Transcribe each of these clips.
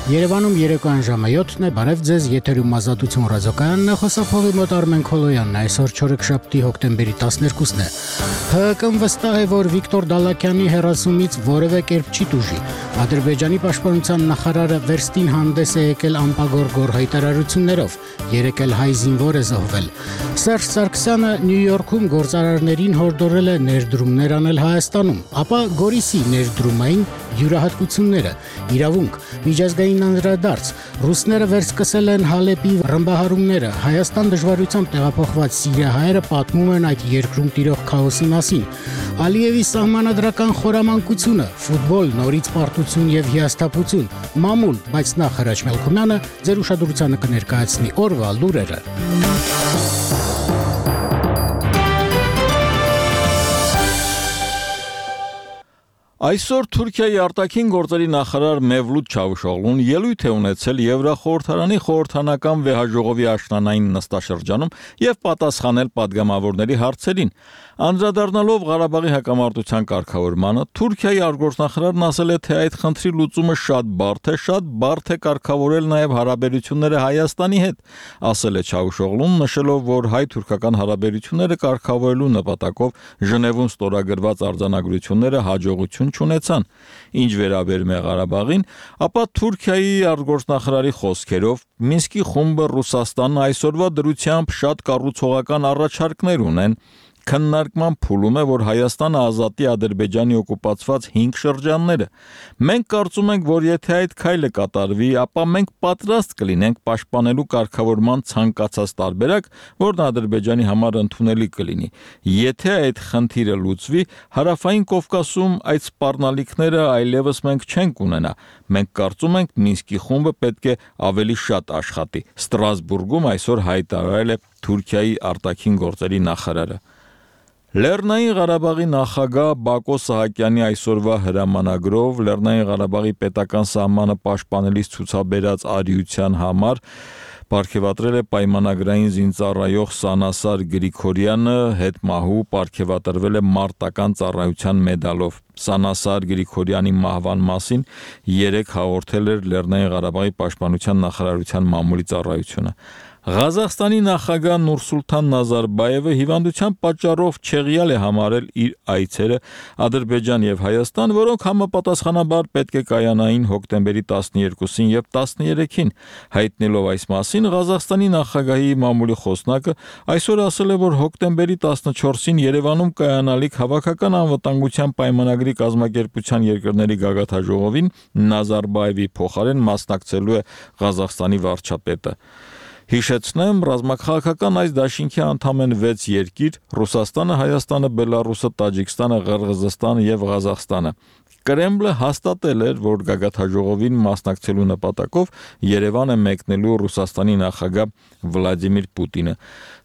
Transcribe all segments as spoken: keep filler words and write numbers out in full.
Երևանում երեկոյան ժամը յոթն է, բարև ձեզ, եթերում Ազատություն ռադիոկայանն է, խոսափողի մոտ Արմեն Քոլոյանն է, այսօր չորեքշաբթի հոկտեմբերի տասներկուսն է։ ՀՀԿ-ն վստահ է, որ Վիկտոր Դալաքյանի հեռացումից որևէ կերպ չի տուժի։ Ադրբեջանի պաշտպանության նախարարը վերստին հանդես է եկել անպագոր հայտարարություններով, երեկ էլ հայ զինվոր է զոհվել։ Սերժ Սարգսյանը Նյու Յորքում գործարարներին հորդորել է ներդրումներ անել Հայաստանում, ապա Գորիսի ներդրումային յուրահատկությունները, իրավունք, միջազգային անդրադարձ, ռուսները վերսկսել են Հալեպի ռմբահարումները, Հայաստան դժվարությամբ տեղափոխված սիրիահայերը պատմում են այդ երկրում տիրող քաոսի մասին, Ալիևի սահմանադրական խորամանկությունը, ֆուտբոլ, նորից պարտություն եւ հիասթափություն, մամուլ, բայց նախ Հրաչ Մելքումյանը ձեր ուշադրությանը կներկայացնի օրվա լուրերը։ Այսօր Թուրքիայի արտաքին գործերի նախարար Մևլութ Չավուշօղլուն ելույթ է ունեցել Եվրախորհրդարանի խորհրդանական վեհաժողովի աշնանային նստաշրջանում եւ պատասխանել պատգամավորների հարցերին։ Անդրադառնալով Ղարաբաղի հակամարտության կարգավորմանը, Թուրքիայի արտգործնախարարն ասել է, թե այդ խնդրի լուծումը շատ բարդ է, շատ բարդ է կարգավորել նաեւ հարաբերությունները Հայաստանի հետ, ասել է Չավուշօղլուն, նշելով, որ հայ-թուրքական հարաբերությունները կարգավորելու նպատակով Ժնևում ստորագրված արձանագրությունները հաջողություն չունեցան։ Ինչ վերաբերում է Ղարաբաղին, ապա Թուրքիայի արտգործնախարարի խոսքերով Մինսկի խումբը Ռուսաստանն այսօրվա դրությամբ շատ կառուցողական առաջարկներ ունեն։ Քննարկման փուլում է, որ Հայաստանը ազատի Ադրբեջանի օկուպացված հինգ շրջանները։ Մենք կարծում ենք, որ եթե այդ քայլը կատարվի, ապա մենք պատրաստ կլինենք պաշտպանելու կարգավորման ցանկացած տարբերակ, որն Ադրբեջանի համար ընդունելի կլինի։ Եթե այդ խնդիրը լուծվի, Հարավային Կովկասում այդ սպառնալիքները այլևս մենք չենք ունենա։ Մենք կարծում ենք, Մինսկի խումբը պետք է ավելի շատ աշխատի։ Ստրասբուրգում այսօր հայտարարել է Թուրքիայի արտաքին գործերի նախարարը։ Լեռնային Ղարաբաղի նախագահ Բակո Սահակյանի այսօրվա հրամանագրով Լեռնային Ղարաբաղի պետական սահմանը պաշտպանելիս ցուցաբերած արիության համար պարգևատրել է պայմանագրային զինծառայող Սանասար Գրիգորյանը, հետմահու պարգևատրվել է մարտական ծառայության մեդալով։ Սանասար Գրիգորյանի մահվան մասին երեկ հաղորդել էր Լեռնային Ղարաբաղի պաշտպանության նախարարության մամուլի ծառայությունը։ Ղազախստանի նախագահ Նուրսուլթան Նազարբայևը հիվանդության պատճառով չեղյալ է համարել իր այցերը Ադրբեջան եւ Հայաստան, որոնք համապատասխանաբար պետք է կայանային հոկտեմբերի տասներկուսին եւ տասներեքին։ Հայտնելով այս մասին, Ղազախստանի նախագահի մամուլի խոսնակը այսօր ասել է, որ հոկտեմբերի տասնչորսին Երևանում կայանալիք հավաքական անվտանգության պայմանագրի կազմակերպության երկրների գագաթնաժողովին Նազարբայևի փոխարեն մասնակցելու է Ղազախստանի վարչապետը։ Հիշեցնեմ, ռազմաքաղաքական այս դաշինքի անդամ են վեց երկիր՝ Ռուսաստանը, Հայաստանը, Բելարուսը, Տաջիկստանը, Ղրղզստանը եւ Ղազախստանը։ Կրեմլը հաստատել էր, որ գագաթնաժողովին մասնակցելու նպատակով Երևան է մեկնելու Ռուսաստանի նախագահ Վլադիմիր Պուտինը։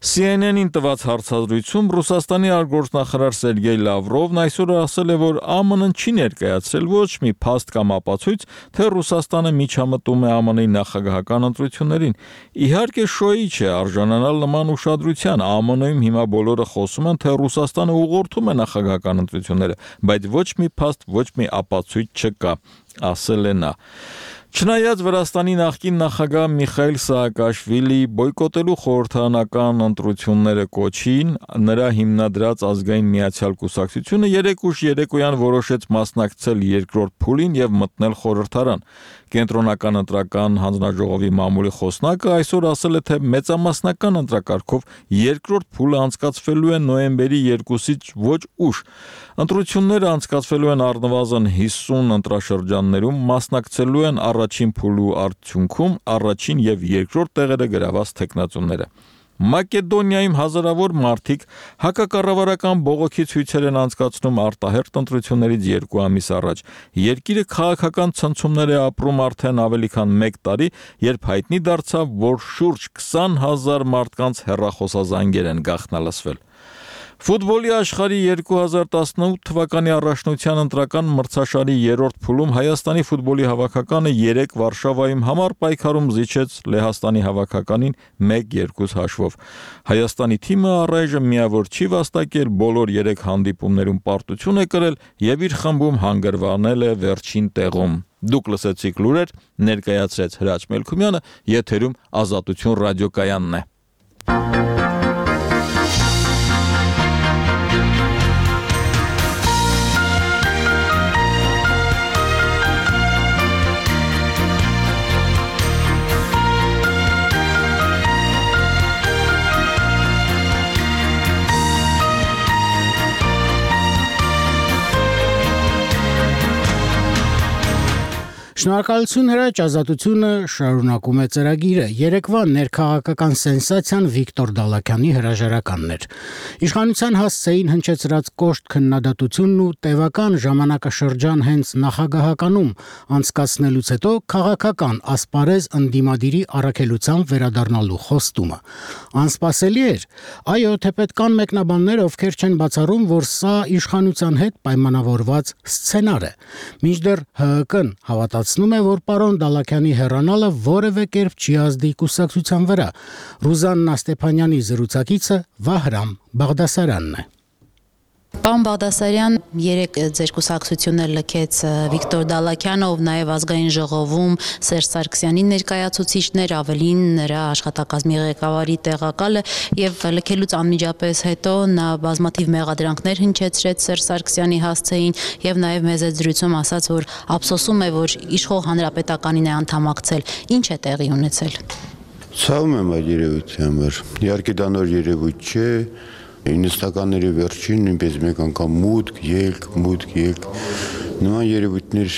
C N N-ին տված հարցազրույցում Ռուսաստանի արտգործնախարար Սերգեյ Լավրովն այսօր ասել է, որ A M N-ն չի ներկայացրել ոչ մի փաստ կամ ապացույց, թե Ռուսաստանը միջամտում է A M N-ի նախագահական ընտրություններին։ Իհարկե շոյի չէ արժանանալ նման ուշադրության։ A M N-ում հիմա բոլորը խոսում են, թե Ռուսաստանը ուղղորդում է նախագահական ընտրությունները, բայց ոչ մի փաստ, ոչ մի ապացույց չկա, ասել է նա։ Չնայած Վրաստանի նախկին նախագահ Միխայիլ Սահակաշվիլի բոյկոտելու խորհրդարանական ընտրությունները կոչին, նրա հիմնադրած ազգային միացյալ կուսակցությունը երեկ ուշ երեկոյան որոշեց մասնակցել երկրորդ փուլին եւ մտնել խորհրդարան։ Կենտրոնական ընտրական հանձնաժողովի մամուլի խոսնակը այսօր ասել է, թե մեծամասնական ընտրակարգով երկրորդ փուլը անցկացվելու է նոյեմբերի երկուսից ոչ ուշ։ Ընտրությունները անցկացվելու են առնվազն հիսուն ընտրաշրջաններում, մասնակցելու են առաջին փուլու արդյունքում առաջին եւ երկրորդ տեղերը գրաված թեկնածուները։ Մակեդոնիայում հազարավոր մարդիկ հակակառավարական բողոքի ցույցեր են անցկացնում արտահերթ ընտրություններից երկու ամիս առաջ։ Երկիրը քաղաքական ցնցումներ է ապրում արդեն ավելի քան մեկ տարի, երբ հայտնի դարձավ, որ շուրջ քսան հազար մարդկանց հեռախոսազանգեր են գաղտնալսվել։ Ֆուտբոլի աշխարհի երկու հազար տասնութ թվականի առաջնության ընտրական մրցաշարի երրորդ փուլում Հայաստանի ֆուտբոլի հավաքականը երեկ Վարշավայում համառ պայքարում զիջեց Լեհաստանի հավաքականին մեկ երկու հաշվով։ Հայաստանի թիմը առայժմ միավոր չի վաստակել, բոլոր երեք հանդիպումներում պարտություն է կրել եւ իր խմբում հանգրվանել է վերջին տեղում։ Դուք լսեցիք լուրեր, ներկայացրեց Հրաչ Մելքումյանը, եթերում Ազատություն ռադիոկայանն է։ Շնորհակալություն Հրաչ, Ազատությունը շարունակում է ծրագիրը։ Երեկվա ներքաղաքական սենսացիան Վիկտոր Դալաքյանի հրաժարականն էր։ Իշխանության հասցեին հնչեցրած կոշտ քննադատությունն ու տևական ժամանակաշրջան հենց նախագահականում անցկացնելուց հետո քաղաքական ասպարեզ ընդդիմադիրի առաքելությամբ վերադառնալու խոստումը։ Անսպասելի էր, այո, թեպետ կան մեկնաբաններ, ովքեր չեն բացառում, որ սա իշխանության հետ պայմանավորված սցենար է։ Մինչդեռ ՀՀԿ-ն հավատացնում է, որ պարոն Դալաքյանի հեռանալը որևէ կերպ չի ազդի կուսակցության վրա։ Ռուզաննա Ստեփանյանի զրուցակիցը Վահրամ Բաղդասարյանն է։ Պարոն Բաղդասարյան, երեք ձեր կուսակցությունը լքեց Վիկտոր Դալաքյանը, ով նաև ազգային ժողովում Սերժ Սարգսյանի ներկայացուցիչներ, ավելին նրա աշխատակազմի ղեկավարի տեղակալը, եւ լքելուց անմիջապես հետո նա բազմաթիվ մեղադրանքներ հնչեցրեց Սերժ Սարգսյանի հասցեին եւ նաև մեծ զրույցում ասաց, որ ափսոսում է, որ իշխող հանրապետականին է անդամակցել։ Ինչ է տեղի ունեցել։ Ցավում եմ այդ երևույթի համար։ Իհարկե դա նոր երևույթ չէ։ իննսատականների վերջին նույնպես մեկ անգամ մուտք, ելք, մուտք, ելք նման երևույթներ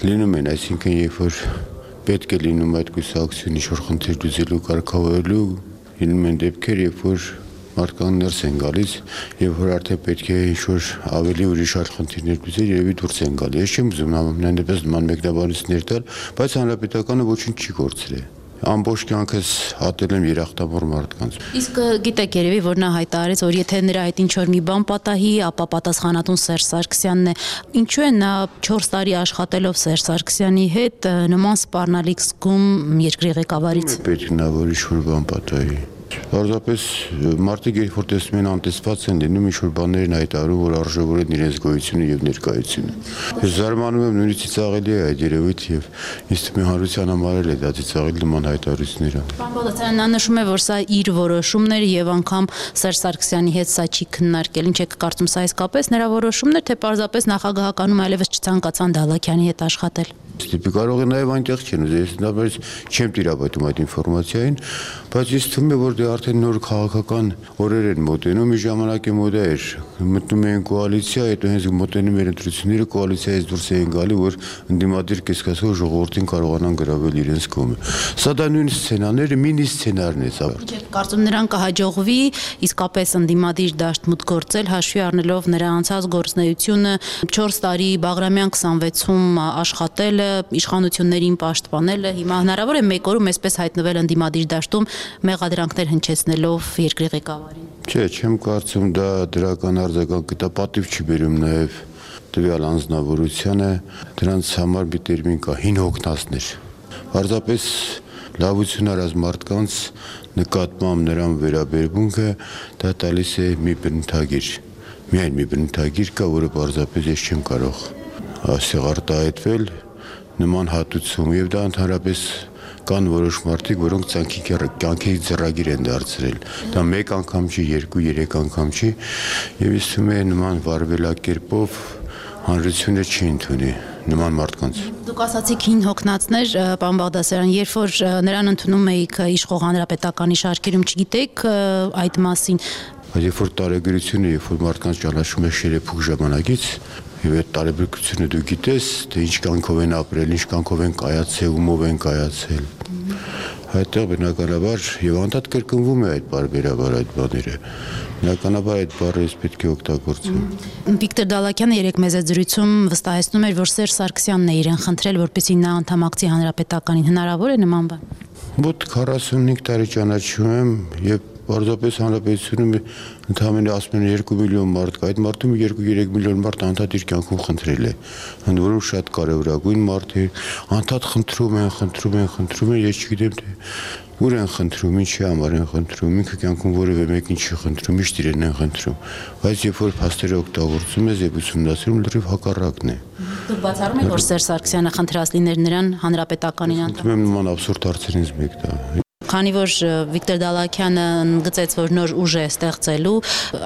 լինում են, այսինքն երբ որ պետք է լինում այդ կուսակցությունը ինչ-որ խնդիր լուծելու, կարգավորելու, լինում են դեպքեր, երբ որ մարդկանց ներս են գալիս, երբ որ արդեն պետք է ինչ-որ ավելի ուրիշ այլ խնդիրներ լուծել, երևի դուրս են գալիս։ Ես չեմ ուզում նույնպես նման մեկնաբանություններ տալ, բայց հանրապետականը ոչինչ չի կորցրել։ Ամբողջ կյանքս հատել եմ երախտավոր մարդկանց։ Իսկ գիտեք երևի, որ նա հայտարարեց, որ եթե նրա այդ ինչ-որ մի բան պատահի, ապա պատասխանատուն Սերժ Սարգսյանն է։ Ինչու է նա չորս տարի աշխատելով Սերժ Սարգսյանի հետ նման սպառնալիք զգում երկրի ղեկավարից։ Պետք է նա որ ինչ-որ բան պատահի։ Պարզապես մարդիկ երբ որ տեսնում են անտեսված են լինում ինչ-որ բաներ են հայտարարում, որ արժևորեն իրենց գոյությունը եւ ներկայությունը։ Ես զարմանում եմ նույնիսկ ծիծաղելի է այդ երևույթը եւ ինձ թվում է հանրության համար էլ է դա ծիծաղել նման հայտարարությունները։ Պարոն Բաղդասարյան, նա նշում է, որ սա իր որոշումն էր եւ անգամ Սերժ Սարգսյանի հետ սա չի քննարկել։ Ինչ եք կարծում, սա իսկապես նրա որոշումն էր, թե պարզապես նախագահականում այլևս չցանկացան Դալաքյանի հետ աշխատել։ Ստիպի կարող է նաև այնտեղ չեն ուզել, ես նույնպես չեմ տիրապետում այդ ինֆորմացիային, բայց ես թվում է, որ դե արդեն նոր քաղաքական օրեր են մոտենում, մի ժամանակ է մոդա էր, մտնում էին կոալիցիա, հետո հենց մոտենում էր ընտրությունները, կոալիցիայից դուրս էին գալի, որ ընդդիմադիր կեսկասով ժողովրդին կարողանան գրավել իրենց կողմը։ Սա դա նույն սցենարները, մինի սցենարն է սա։ Կարծում նրան կհաջողվի իսկապես ընդդիմադիր դաշտ մուտք գործել, հաշվի առնելով նրա անցած գործունեությունը, չորս տարի Բաղրամյան քսանվեցում աշխատել, իշխանություններին պաշտպանելը, հիմա հնարավոր է մեկ օրում այսպես հայտնվել ընդդիմադիր դաշտում մեղադրանքներ հնչեցնելով երկրի ղեկավարին։ Չէ, չեմ կարծում դա դրական արձագանք, դա պատիվ չի բերում նաև տվյալ անձնավորությանը, դրանց համար մի տերմին կա՝ հին հոգնածներ։ Պարզապես լավություն արած մարդկանց նկատմամբ նրան վերաբերմունքը դա տալիս է մի բնութագիր։ Միայն մի բնութագիր կա, որը պարզապես ես չեմ կարող ասեղ արտահայտվել նման հատուցում եւ դա ընդհանրապես կան որոշ մարդիկ, որոնք ցանկի կյանքի ծրագիր են դարձրել։ Դա մեկ անգամ չի, երկու, երեք անգամ չի եւ ես թվում է նման վարվելակերպով հանրությունը չի ընդունի նման մարդկանց։ Դուք ասացիք հին հոգնածներ, պարոն Բաղդասարյան, երբ որ նրան ընդունում էիք իշխող հանրապետականի շարքերում, չգիտեք այդ մասին։ Բայց երբ որ տարեգրությունը, երբ որ մարդկանց ճանաչում է շերեփուկ ժամանակից, եւ այդ տարեգրությունը դու գիտես, թե ինչ կյանքով են ապրել, ինչ կյանքով են կայացել, ումով են կայացել։ Այդտեղ բնականաբար եւ անդադ կրկնվում է այդ բարբերաբար այդ բաները։ Բնականաբար այդ բառը պետք է օգտագործել։ Վիկտոր Դալաքյանը երեք մեծ զրույցում վստահեցնում էր, որ Սերժ Սարգսյանն է իրեն խնդրել, որպեսզի նա անդամակցի հանրապետականին։ Հնարավոր է նման բան։ Մոտ քառասունհինգ տարի ճանաչում եմ եւ պարզապես հանրապետությունում ընդհանրապես ասում են երկու միլիոն մարդ կա, այդ մարդում երկու-երեք միլիոն մարդ անդադ իր կյանքում խնդրել է, ընդ որում շատ կարևորագույն մարդ է, անդադ խնդրում են, խնդրում են, խնդրում են, ես չգիտեմ թե ուր են խնդրում, ինչի համար են խնդրում, ինքը կյանքում որևէ մեկին չի խնդրում, միշտ իրեն են խնդրում, բայց երբ որ փաստերը օգտագործում ես եւ ուսումնասիրում, լրիվ հակառակն է։ Դուք բացառում եք, որ Սերժ Սարգսյանը խնդրած լիներ նրան հանրապետականին անդամ։ Ում նման абսուրդ հարցերից մեկ դա։ Քանի որ Վիկտոր Դալաքյանը ընդգծեց, որ նոր ուժ է ստեղծելու,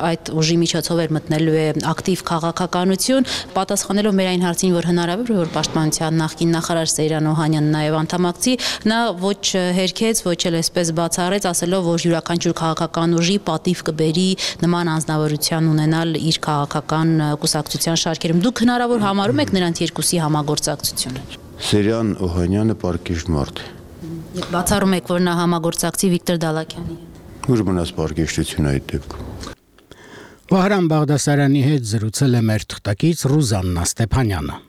այդ ուժի միջոցով էր մտնելու է ակտիվ քաղաքականություն, պատասխանելով մեր այն հարցին, որ հնարավոր է, որ Պաշտպանության նախկին նախարար Սեյրան Օհանյանն նաև անդամակցի, նա ոչ հերքեց, ոչ էլ այսպես բացառեց, ասելով, որ յուրաքանչյուր քաղաքական ուժի պատիվ կբերի նման անձնավորություն ունենալ իր քաղաքական կուսակցության շարքերում։ Դուք հնարավոր համարում եք նրանց երկուսի համագործակցությունը։ Սեյրան Օհանյանը պարկեշտ մարդ է։ Բացառում եք, որ նա համագործակցի Վիկտոր Դալաքյանի հետ։ Ուր մնաց պարկեշտությունը այդ դեպքում։ Վահրամ Բաղդասարյանի հետ զրուցել է մեր թղթակից Ռուզաննա Ստեփանյանը։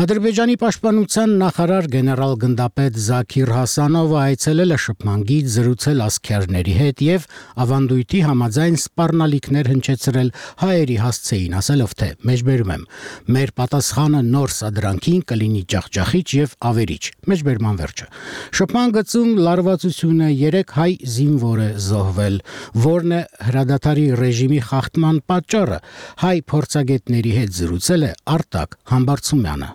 Ադրբեջանի պաշտպանության նախարար գեներալ գնդապետ Զաքիր Հասանովը այցելել է շփման գիծ, զրուցել ասքերների հետ եւ ավանդույթի համաձայն սպառնալիքներ հնչեցրել հայերի հասցեին, ասելով թե մեջբերում եմ մեր պատասխանը նոր սադրանքին կլինի ջախջախիչ եւ ավերիչ, մեջբերման վերջը։ Շփման գծում լարվածությունը երեք հայ զինվոր է զոհվել, որն է հրադադարի ռեժիմի խախտման պատճառը, հայ փորձագետների հետ զրուցել է Արտակ Համբարձումյանը։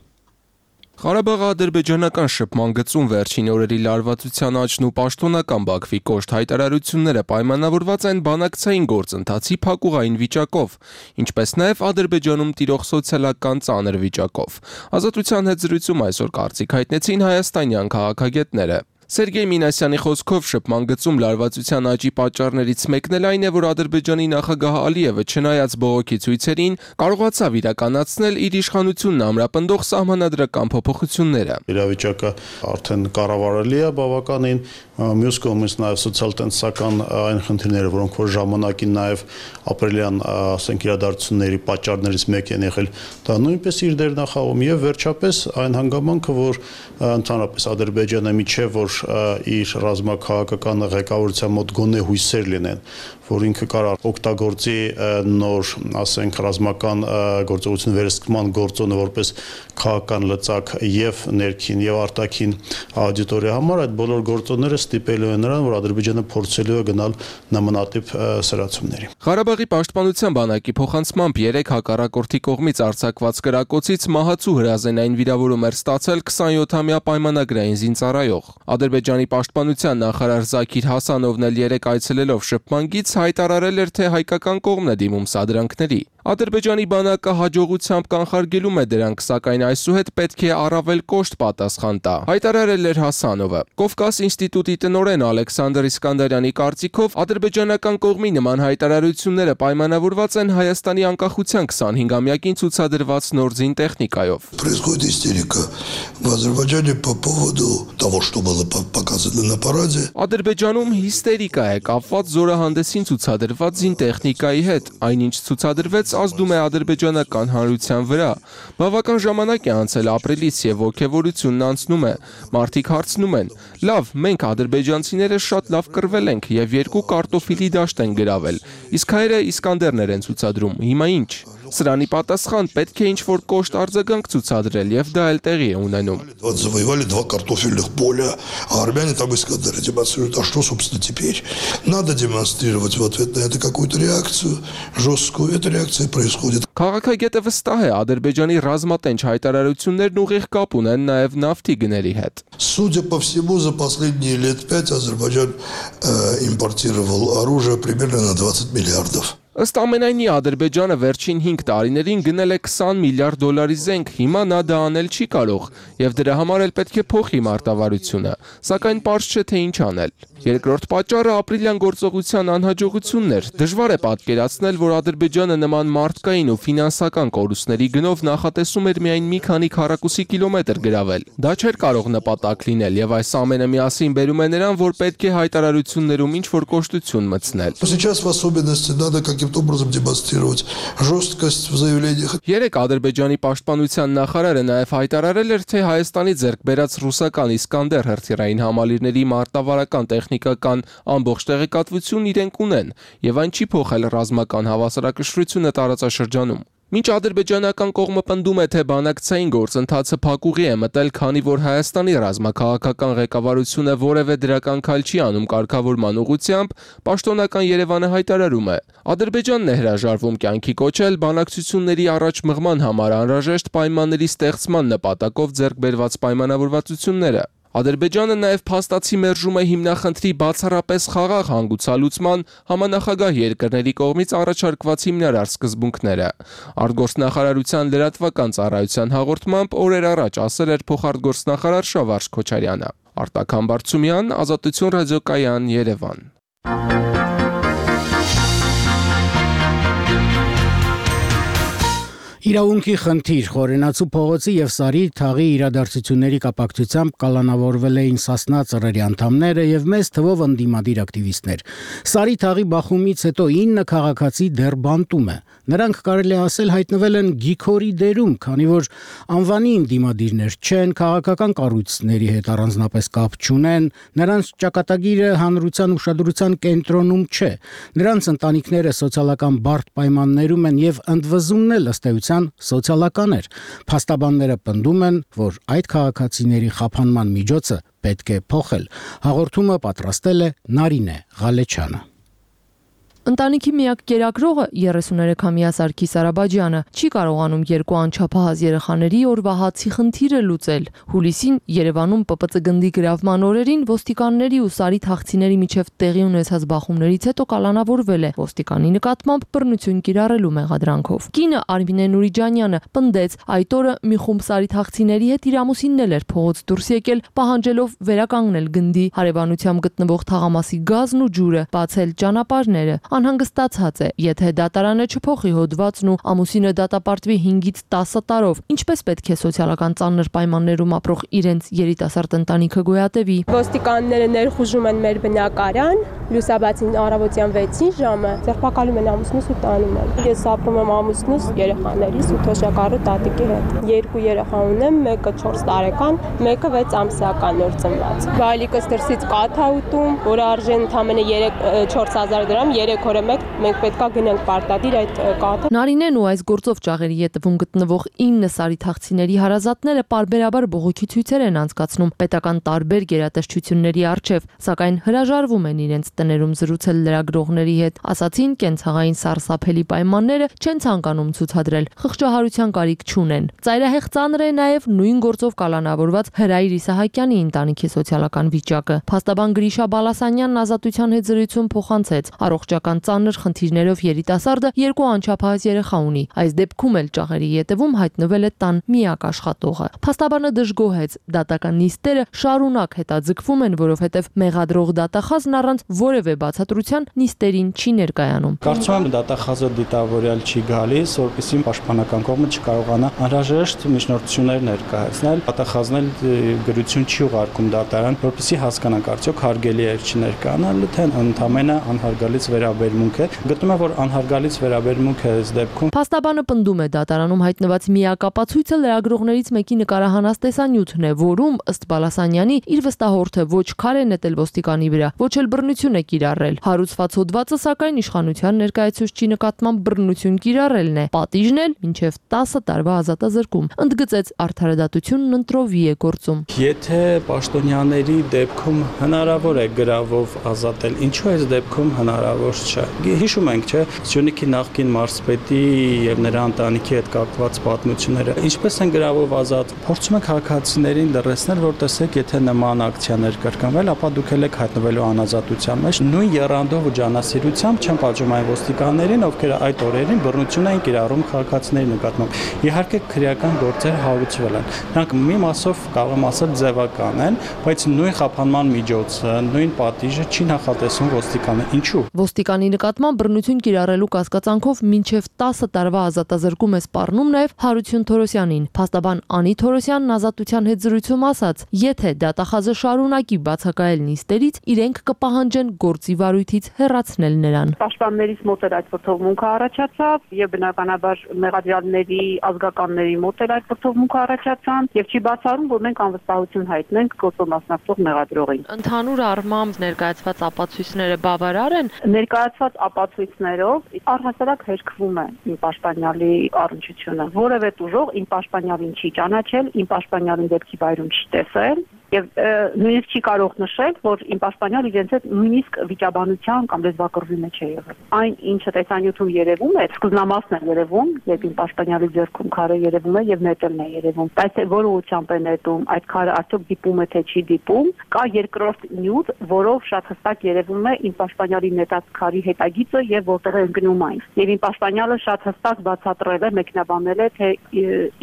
Ղարաբաղ-ադրբեջանական շփման գծում վերջին օրերի լարվածության աճն ու պաշտոնական Բաքվի կոշտ հայտարարությունները պայմանավորված են բանակցային գործընթացի փակուղային վիճակով, ինչպես նաև Ադրբեջանում տիրող սոցիալական ծանր վիճակով։ Ազատության հետ զրույցում այսօր կարծիք հայտնեցին հայաստանյան քաղաքագետները։ Սերգեյ Մինասյանի խոսքով շփման գծում լարվածության աճի պատճառներից մեկն էլ այն է, որ Ադրբեջանի նախագահ Ալիևը չնայած բողոքի ցույցերին կարողացավ իրականացնել իր իշխանությունն ամրապնդող սահմանադրական փոփոխությունները։ Իրավիճակը արդեն կառավարելի է բավականին, մյուս կողմից նաև սոցիալ-տնտեսական այն խնդիրները, որոնք որ ժամանակին նաև ապրիլյան, ասենք, իրադարձությունների պատճառներից մեկ են եղել, դա նույնպես իր դերն է խաղում եւ վերջապես այն հանգամանքը, որ ընդհանրապես Ադրբեջանը միջև որ իր ռազմաքաղաքական ղեկավարության մոտ գոնե հույսեր լինեն, որ ինքը կարող օգտագործի նոր, ասենք, ռազմական գործողություն վերահսկման գործոնը որպես քաղաքական լծակ եւ ներքին եւ արտաքին աուդիտորիա համար, այդ բոլոր գործոնները ստիպելու են նրան, որ Ադրբեջանը փորձելու է գնալ նմանատիպ սրացումների։ Ղարաբաղի պաշտպանության բանակի փոխանցմամբ երեք հակառակորդի կողմից արձակված կրակոցից մահացու հրազենային վիրավորում էր ստացել քսանյոթամյա պայմանագրային զինծառայող։ Ադրբեջանի պաշտպանության նախարար Զաքիր Հասանովն էլ երեք այցելելով շփման գիծ հայտարարել էր, թե հայկական կողմն է դիմում սադրանքների։ Ադրբեջանի բանակը հաջողությամբ կանխարգելում է դրանք, սակայն այսուհետ պետք է առավել կոշտ պատասխան տա, հայտարարել էր Հասանովը։ Կովկաս ինստիտուտի տնօրեն Ալեքսանդր Իսկանդարյանի կարծիքով ադրբեջանական կողմի նման հայտարարությունները պայմանավորված են Հայաստանի անկախության քսանհինգամյակին ցուցադրված նոր զին տեխնիկայով։ Происходит истерика в Азербайджане по поводу того, что было показано на параде. Ադրբեջանում հիստերիկա է կապված զորահանդեսին ցուցադրված զին տեխնիկայի հետ, այնինչ ցուցադրվեց ազդում է ադրբեջանական հանրության վրա։ Բավական ժամանակ է անցել ապրիլից եւ ոգևորությունն անցնում է։ Մարդիկ հարցնում են. լավ, մենք ադրբեջանցիները շատ լավ կռվել ենք եւ երկու կարտոֆիլի դաշտ են գրավել։ Իսկ հայերը Իսկանդերներ են ցուցադրում։ Հիմա ինչ։ Սրանի պատասխան պետք է ինչ-որ կոշտ արձագանք ցուցադրել եւ դա էլ տեղի է ունենում։ Вот завоевали два картофельных поля, а армяне там Искандеры демонстрируют. А что, собственно, теперь? Надо демонстрировать в ответ на это какую-то реакцию жесткую. Эта реакция происходит. Քաղաքագետը վստահ է, Ադրբեջանի ռազմատենչ հայտարարություններն ուղիղ կապ ունեն նաեւ նավթի գների հետ։ Судя по всему, за последние лет пять Азербайджан э, импортировал оружие примерно на двадцать миллиардов. Ըստ ամենայնի Ադրբեջանը վերջին հինգ տարիներին գնել է քսան միլիարդ դոլարի զենք, հիմա նա դա անել չի կարող, եւ դրա համար էլ պետք է փոխի մարտավարությունը, սակայն պարզ չէ թե ինչ անել։ Երկրորդ պատճառը ապրիլյան գործողության անհաջողությունն էր։ Դժվար է պատկերացնել, որ Ադրբեջանը նման մարդկային ու ֆինանսական կորուստների գնով նախատեսում էր միայն մի քանի քառակուսի կիլոմետր գրավել։ Դա չէր կարող նպատակ լինել, եւ այս ամենը միասին բերում է նրան, որ պետք է հայտարարություններում ինչ-որ կոշտություն մտցնել։ Сейчас в особенности надо каким-то образом демонстрировать жесткость в заявлениях. Երեք Ադրբեջանի պաշտպանության նախարարը նաև հայտարարել էր, թե Հայաստանի ձեռք բերած ռուսական Իսկանդեր հրթիռային համալիրների մարտավարական տեխնիկական ամբողջ տեղեկատվություն իրենք ունեն, եւ այն չի փոխել ռազմական հավասարակշռությունը տարածաշրջանում։ Մինչ ադրբեջանական կողմը պնդում է, թե բանակցային գործընթացը փակուղի է մտել, քանի որ Հայաստանի ռազմաքաղաքական ղեկավարությունը որևէ դրական քայլ չի անում կարգավորման ուղղությամբ, պաշտոնական Երևանը հայտարարում է. Ադրբեջանն է հրաժարվում կյանքի կոչել բանակցությունների առաջ մղման համար անհրաժեշտ պայմանների ստեղծման նպատակով ձեռք բերված պայմանավորվածությունները։ Ադրբեջանը նաև փաստացի մերժում է հիմնախնդրի բացառապես խաղաղ հանգուցալուծման համանախագահ երկրների կողմից առաջարկված հիմնարար սկզբունքները։ Արտգործնախարարության լրատվական ծառայության հաղորդմամբ օրեր առաջ ասել էր փոխարտգործնախարար Շավարժ Քոչարյանը։ Արտակ Համբարձումյան, Ազատություն ռադիոկայան, Երևան։ Իրավունքի խնդիր Խորենացու փողոցի եւ Սարի թաղի իրադարձությունների կապակցությամբ կալանավորվել էին Սասնա ծռերի անդամները եւ մեծ թվով ընդդիմադիր ակտիվիստներ։ Սարի թաղի բախումից հետո ինը քաղաքացի դեռ բանտում է։ Նրանք կարելի է ասել հայտնվել են գիքորի դերում, քանի որ անվանի ընդդիմադիրներ չեն, քաղաքական կառույցների հետ առանձնապես կապ չունեն, նրանց ճակատագիրը հանրության ուշադրության կենտրոնում չէ։ Նրանց ընտանիքները սոցիալական բարդ պայմաններում են եւ ընդվզումն էլ ըստ էության սոցիալական էր։ Փաստաբանները պնդում են, որ այդ քաղաքացիների խափանման միջոցը պետք է փոխել։ Հաղորդումը պատրաստել է Նարինե Ղալեչյանը։ Ընտանիքի միակ կերակրողը երեսուներեքամյա Սարգիս Արաբաջյանը չի կարողանում երկու անչափահաս երեխաների օրվա հացի խնդիրը լուծել։ Հուլիսին Երևանում ՊՊՑ գնդի գրավման օրերին ոստիկանների ու Սարի թաղցիների միջև տեղի ունեցած բախումներից հետո կալանավորվել է ոստիկանի նկատմամբ բռնություն կիրառելու մեղադրանքով։ Կինը Արմինե Նուրիջանյանը պնդեց այդ օրը մի խումբ Սարի թաղցիների հետ իր ամուսինն էլ էր փողոց դուրս եկել, պահանջելով վերականգնել գնդի հարևանությամբ գտնվող թաղամասի գազն ու ջուրը, բացել ճանապարհները։ Անհանգստացած է, եթե դատարանը չփոխի հոդվածն ու ամուսինը դատապարտվի հինգից տասը տարով, ինչպես պետք է սոցիալական ծանր պայմաններում ապրող իրենց երիտասարդ ընտանիքը գոյատևի։ Ոստիկանները ներխուժում են մեր բնակարան, լուսաբացին առավոտյան վեցին ժամը, ձերբակալում են ամուսնուս ու տանում են։ Ես ապրում եմ ամուսնուս, երեխաներիս ու թոշակառու տատիկի հետ։ Երկու երեխա ունեմ, մեկը չորս տարեկան, մեկը վեց ամսական նոր ծնված։ Բալիկս դրսից կաթ ա ուտում, որը արժեն ընդամենը չորս հազար դրամ, երեք օրը մեկ մենք պետքա գնանք պարտադիր այդ կաթը։ Նարինեն ու այս գործով ճաղերի ետևում գտնվող ինը Սարի թաղցիների հարազատները պարբերաբար բողոքի ցույցեր են անցկացնում պետական տարբեր գերատեսչությունների առջև, սակայն հրաժարվում են իրենց տներում զրուցել լրագրողների հետ, ասացին կենցաղային սարսափելի պայմանները չեն ցանկանում ցուցադրել, խղճահարության կարիք չունեն։ Ծայրահեղ ծանր է նաև նույն գործով կալանավորված Հրայր Իսահակյանի ընտանիքի սոցիալական վիճակը։ Փաստաբան Գրիշա Բալասանյանն Ազատության հետ զրույցում փոխանցեց, առողջական ծանր խնդիրներով երիտասարդը երկու անչափահաս երեխա ունի։ Այս դեպքում էլ ճաղերի ետևում հայտնվել է տան միակ աշխատողը։ Փաստաբանը դժգոհեց, դատական նիստերը շարունակ հետաձգվում են, որովհետև մեղադրող դատախազն առանց որևէ բացատրության նիստերին չի ներկայանում։ Կարծում եմ դատախազը դիտավորյալ չի գալիս, որպեսզի պաշտպանական կողմը չկարողանա անհրաժեշտ միջնորդություններ ներկայացնել։ Դատախազն էլ գրություն չի ուղարկում դատարան, որպեսզի հասկանանք արդյոք հարգելի է չի ներկայանալը, թե ընդամենը անհարգալից վերաբերմունք է։ Գտնում եմ, որ անհարգալից վերաբերմունք է այս դեպքում։ Փաստաբանը պնդում է դատարանում հայտնված միակապացույցը լրագրողներից մեկի նկարահանած տեսանյութն է, որում ըստ Բալասանյանի իր վստահորդը ոչ քար է նետել ոստիկանի վրա, ոչ էլ բռնություն է կիրառել։ Հարուցված հոդվածը սակայն իշխանության ներկայացուցչի նկատմամբ բռնություն կիրառելն է։ Պատիժն էլ մինչև տասը տարվա ազատազրկում։ Ընդգծեց արդարադատությունն ընտրովի է գործում։ Եթե պաշտոնյաների դեպքում հնարավոր է գրավով ազատել, ինչու այս դեպքում հնարավոր չէ։ Հիշում ենք, չէ, Սյունիքի նախկին մարզպետի եւ նրա ընտանիքի հետ կապված պատմությունները։ Ինչպես են գրավով ազատ, փորձում են քաղաքացիներին լրացնել, որ տեսեք, եթե նման ակցիաներ կրկնվել, ապա դուք եք հայտնվելու անազատության մեջ։ Նույն եռանդով ու ջանասիրությամբ չեն պատժում այն ոստիկաններին, ովքեր այդ օրերին բռնություն են կիրառում քաղաքացիների նկատմամբ։ Իհարկե քրեական գործեր հարուցվել են։ Նրանք մի մասով կարող եմ ասել ձևական են, բայց նույն խափանման միջոցը, նույն պատիժը չի նախատեսում ոստիկանը։ Ինչու՞։ Ոստիկանի նկատմամբ բռնություն կիրառելու կասկածանքով մինչև տասը տարվա ազատազրկում է սպառնում նաև Հարություն Թորոսյանին։ Փաստաբան Անի Թորոսյանն Ազատության հետ զրույցում ասաց, եթե դատախազը շարունակի բացակայել նիստերից, իրենք կպահանջեն գործի վարույթից հեռացնել նրան։ Պաշտպաններից մոտ էլ այդ վրթովմունքը առաջացավ եւ բնականաբար մեղադրյալների ազգականների մոտ էլ այդ վրթովմունքը առաջացան եւ չի բացառում, որ մենք անվստահություն հայտնենք գործով մասնակցող մեղադրողին։ Ընդհանուր առմամբ ներկայացված ապացույցները բավարար են։ Ներկայացված ստացված ապացույցներով առհասարակ հերկվում է իմ պաշտպանյալի առնչությունը։ Որևէ ուժող իմ պաշտպանյալին չի ճանաչել, իմ պաշտպանյալին դեպքի վայրում չի տեսել եւ նույնիսկ չի կարող նշել, որ իմ պաշտպանյալը իրենց հետ նույնիսկ վիճաբանության կամ լեզվակռվի մեջ է եղել։ Այն, ինչը տեսանյութում երևում է, սկզբնամասն է երևում, երբ իմ պաշտպանյալի ձեռքում քարը երևում է եւ նետելն է երևում։ Բայց որ ուղղությամբ է նետում, այդ քարը արդյոք դիպում է թե չի դիպում, կա երկրորդ նյութ, որով շատ հստակ երևում է իմ պաշտպանյալի նետած քարի հետագիծը եւ որտեղ է ընկնում այն։ Եվ իմ պաշտպանյալը շատ հստակ բացատրել է, մեկնաբանել է, թե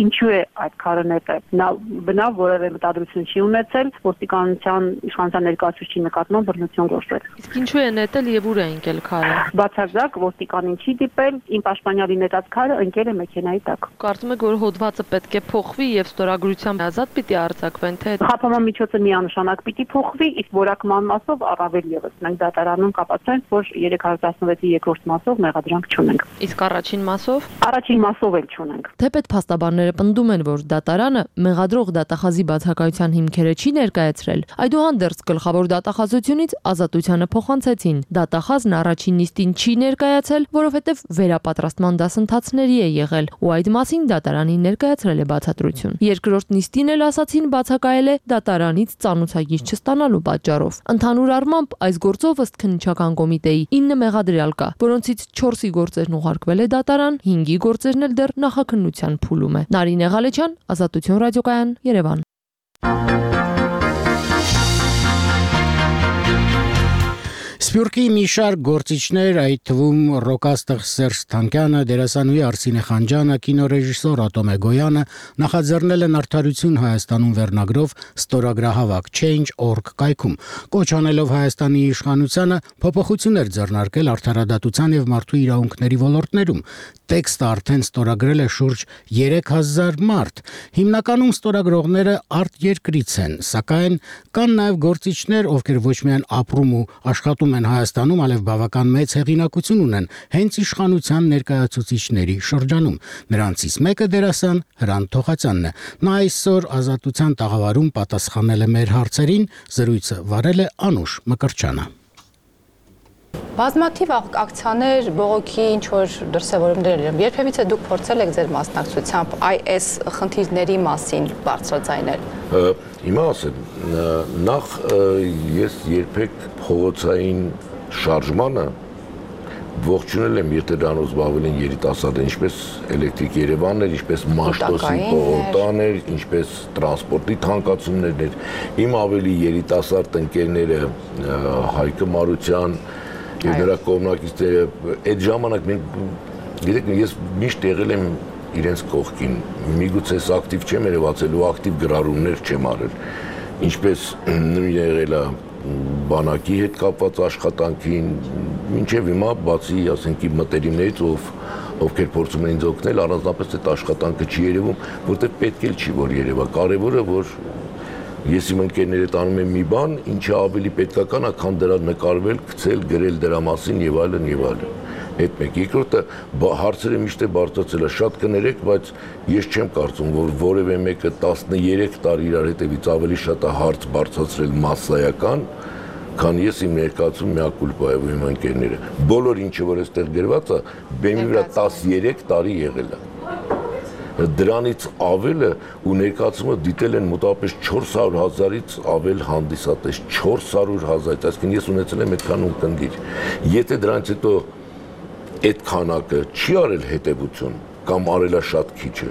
ինչու է այդ քարը նետել։ Նա բնավ որևէ մտադրություն չի ունեցել, ոստիկանության իշխանության ներկայացուցիչի նկատմամբ բռնություն գործել։ Իսկ ինչու է նետել եւ ուր է ընկել քարը։ Բացարձակ ոստիկանին չի դիպել, իմ պաշտպանյալի նետած քարը ընկել է մեքենայի տակ։ Կարծում եք, որ հոդվածը պետք է փոխվի եւ ստորագրությամբ ազատ պիտի արձակվեն, թե խափանման միջոցը միանշանակ պիտի փոխվի, իսկ որակման մասով առավել եւս։ Մենք դատարանում կապացանք, որ երեք հարյուր տասնվեցի երկրորդ մասով մեղադրանք չունենք։ Իսկ առաջին մասով։ Առաջին մասով էլ չունենք։ Թեպետ փաստաբանները պնդում են, որ դատարանը մեղադրող դատախազի բացակայության հիմքերը չի ներկայացրել։ Այդուհանդերձ գլխավոր դատախազությունից ազատությանը փոխանցեցին։ Դատախազն առաջին նիստին չի ներկայացել, որովհետև վերապատրաստման դասընթացների է եղել, ու այդ մասին դատարանին ներկայացրել է բացատրություն։ Երկրորդ նիստին էլ ասացին բացակայել է դատարանից ծանուցագիր չստանալու պատճառով։ Ընդհանուր առմամբ այս գործով ըստ քննիչական կոմիտեի ինը մեղադրյալ կա, որոնցից չորսի գործերն ուղարկվել է դատարան, հինգի գործերն էլ դեռ նախաքննության փուլում է։ Նարինե Ղալեչյան, Ազատություն ռադիոկայան, Երևան։ Սփյուռքի մի շարք գործիչներ, այդ թվում ռոկաստղ Սերժ Թանկյանը, դերասանուհի Արսինե Խանջյանը, կինոռեժիսոր Ատոմե Գոյանը նախաձեռնել են Արդարություն Հայաստանում վերնագրով ստորագրահավաք Change dot org կայքում, կոչ անելով Հայաստանի իշխանությանը փոփոխություններ ձեռնարկել արդարադատության եւ մարդու իրավունքների ոլորտներում։ Տեքստը արդեն ստորագրել է շուրջ երեք հազար մարդ։ Հիմնականում ստորագրողները արտերկրից են, սակայն կան նաեւ գործիչներ, ովքեր ոչ միայն ապրում ու աշխատում են Հայաստանում, այլև բավական մեծ հեղինակություն ունեն հենց իշխանության ներկայացուցիչների շրջանում։ Նրանցից մեկը դերասան Հրանտ Թոխացյանն է։ Նա այսօր Ազատության տաղավարում պատասխանել է մեր հարցերին, զրույցը վարել է Անուշ Մկրտչյանը։ Բազմաթիվ ակցիաներ, բողոքի ինչ-որ դրսևորումներ են։ Երբևիցե դուք փորձել եք ձեր մասնակցությամբ այս խնդիրների մասին բարձրաձայնել։ Հիմա ասեմ, նախ ես երբեք փողոցային շարժմանը ողջունել եմ, եթե դրանով զբաղվել են երիտասարդներ, ինչպես Էլեկտրիկ Երևանն էր, ինչպես Մաշտոսի պողոտան էր, ինչպես տրանսպորտի թանկացումներն էր։ Իմ ավելի երիտասարդ ընկերները Հայկը Մարության եւ նրա կողմնակիցները այդ ժամանակ մենք գիտեք ես միշտ եղել եմ իրենց կողքին միգուցե ակտիվ չեմ երևացել ու ակտիվ գրառումներ չեմ արել ինչպես նույն եղել է բանակի հետ կապված աշխատանքին մինչեւ հիմա բացի ասենք իմ մտերիմներից ով ովքեր փորձում են ինձ օգնել առանձնապես այդ աշխատանքը չի երևում որտեղ պետք էլ չի որ երևա կարևորը որ Ես իմ ընկերներիդ անում եմ մի բան, ինչը ավելի պետքական է, քան դրա նկարվել, գցել, գրել դրա մասին եւ այլն եւ այլն։ Այդ մեկ երկրորդը հարցերը միշտ է բարձրացել է, շատ կներեք, բայց ես չեմ կարծում, որ որևէ մեկը տասներեք տարի իրար հետևից ավելի շատ է հարց բարձրացրել մասսայական, քան ես իմ ներկայացում միակուլպա եւ իմ ընկերները։ Բոլոր ինչը որ այստեղ գրված է, բեմի վրա տասներեք տարի եղել է։ Դրանից ավելը ու ներկայացումը դիտել են մոտավորապես չորս հարյուր հազարից ավել հանդիսատես, չորս հարյուր հազար, այսինքն ես ունեցել եմ այդքան ունկնդիր։ Եթե դրանից հետո այդ քանակը չի արել հետևություն կամ արելա շատ քիչը,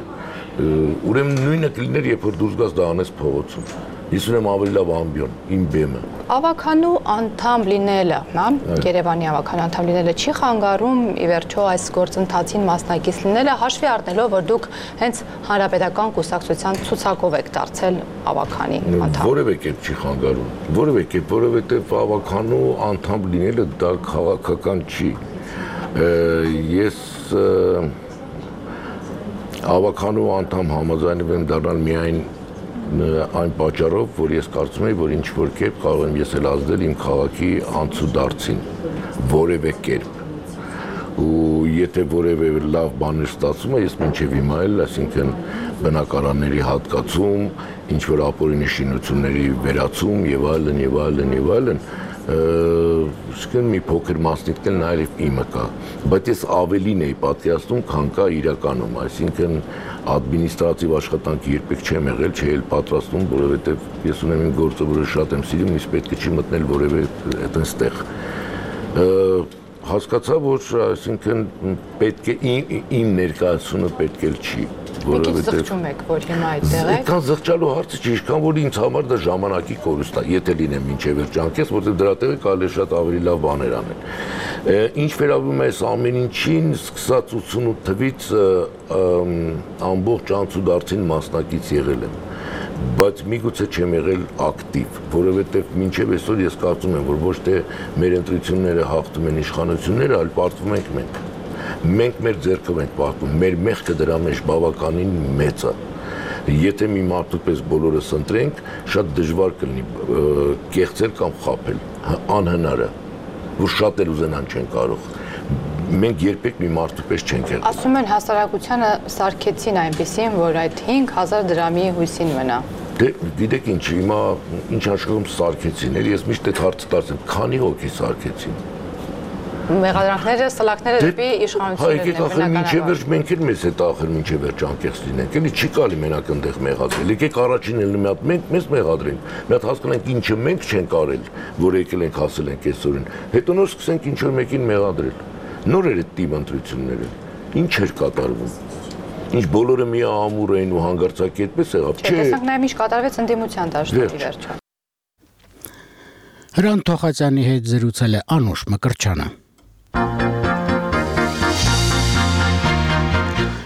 ուրեմն նույնը կլիներ, երբ որ դուրս գաս դա անես փողոցում։ Ես ունեմ ավելի լավ ամբիոն, իմ բեմը։ Ավականու անդամ լինելը, հա, Երևանի ավականու անդամ լինելը չի խանգարում ի վերջո այս գործընթացին մասնակից լինելը, հաշվի առնելով, որ դուք հենց հանրապետական կուսակցության ցուցակով եք դարձել ավականի անդամ։ Որևէ կերպ չի խանգարում, որևէ կերպ, որովհետև ավականու անդամ լինելը դա քաղաքական չի։ Ես ավականու անդամ համաձայնվել եմ դառնալ միայն այն պատճառով, որ ես կարծում եմ, որ ինչ-որ կերպ կարող եմ ես էլ ազդել իմ քաղաքի անցուդարձին, որևէ կերպ։ Ու եթե որևէ լավ բաներ ստացվում է, ես մինչև հիմա էլ, այսինքն բնակարանների հատկացում, ինչ-որ ապօրինի շինությունների վերացում եւ այլն եւ այլն եւ այլն, Իսկն մի փոքր մասնիկն նաև իմը կա, բայց ես ավելին էի պատկերացնում, քան կա իրականում, այսինքն ադմինիստրատիվ աշխատանք երբեք չեմ եղել, չի էլ պատրաստում, որովհետև ես ունեմ իմ գործը, որը շատ եմ սիրում, իսկ պետք է չի մտնել որևէ այդպես տեղ։ Հասկացա, որ այսինքն պետք է իմ ներկայացումը պետք էլ չի, որովհետև զղջում եք, որ հիմա այդտեղ եք։ Այդքան զղջալու հարցը չի, ինչքան որ ինձ համար դա ժամանակի կորուստ է, եթե լինեմ մինչև երջանկես, որովհետև դրա տեղը կարելի է շատ ավելի լավ բաներ անել։ Ինչ վերաբերում է այս ամեն ինչին, սկսած ութսունութ թվականից ամբողջ անցուդարձին մասնակից եղել եմ, բայց միգուցե չեմ եղել ակտիվ, որովհետև մինչև այսօր ես կարծում եմ, որ ոչ թե մեր ընտրությունները հաղթում են իշխանությունները, այլ պարտվում ենք մենք։ Մենք մեր ձեռքով ենք պարտվում, մեր մեղքը դրա մեջ բավականին մեծ է։ Եթե մի մարդու պես բոլորս ընտրենք, շատ դժվար կլինի կեղծել կամ խաբել, անհնար է, որ շատ էլ ուզենան չեն կարող։ Մենք երբեք մի մարդու պես չենք եղել։ Ասում են հասարակությանը սարքեցին այնպեսին, որ այդ հինգ հազար դրամի հույսին մնա։ Դե գիտեք ինչ, հիմա ինչ աշխարհում սարքեցին, ես միշտ այդ հարցը տալիս եմ, քանի հոգի սարքեցին։ Մեղադրանքները, սլաքները դեպի իշխանություններն են։ Մինչև վերջ մենք էլ մեզ հետ ախր մինչև վերջ անկեղծ լինենք, էլի չի կարելի մենակ այնտեղ մեղադրել։ Եկեք առաջին էլ մի հատ մենք մեզ մեղադրենք, մի հատ հասկանանք ինչը մենք չենք արել, որ եկել ենք հասել ենք այսօրին, հետո նոր սկսենք ինչ որ մեկին մեղադրել։ Նոր էր այդ տիպ ընտրությունները, ինչ էր կատարվում։ Ինչ բոլորը մի ամուր էին ու հանգարցակի այդպես եղավ, չէ։ Տեսանք նաև ինչ կատարվեց ընդդիմության դաշնակի վերջը։ Հրանտ Թոխացյանի հետ զրուցել է Անուշ Մկրտչյանը։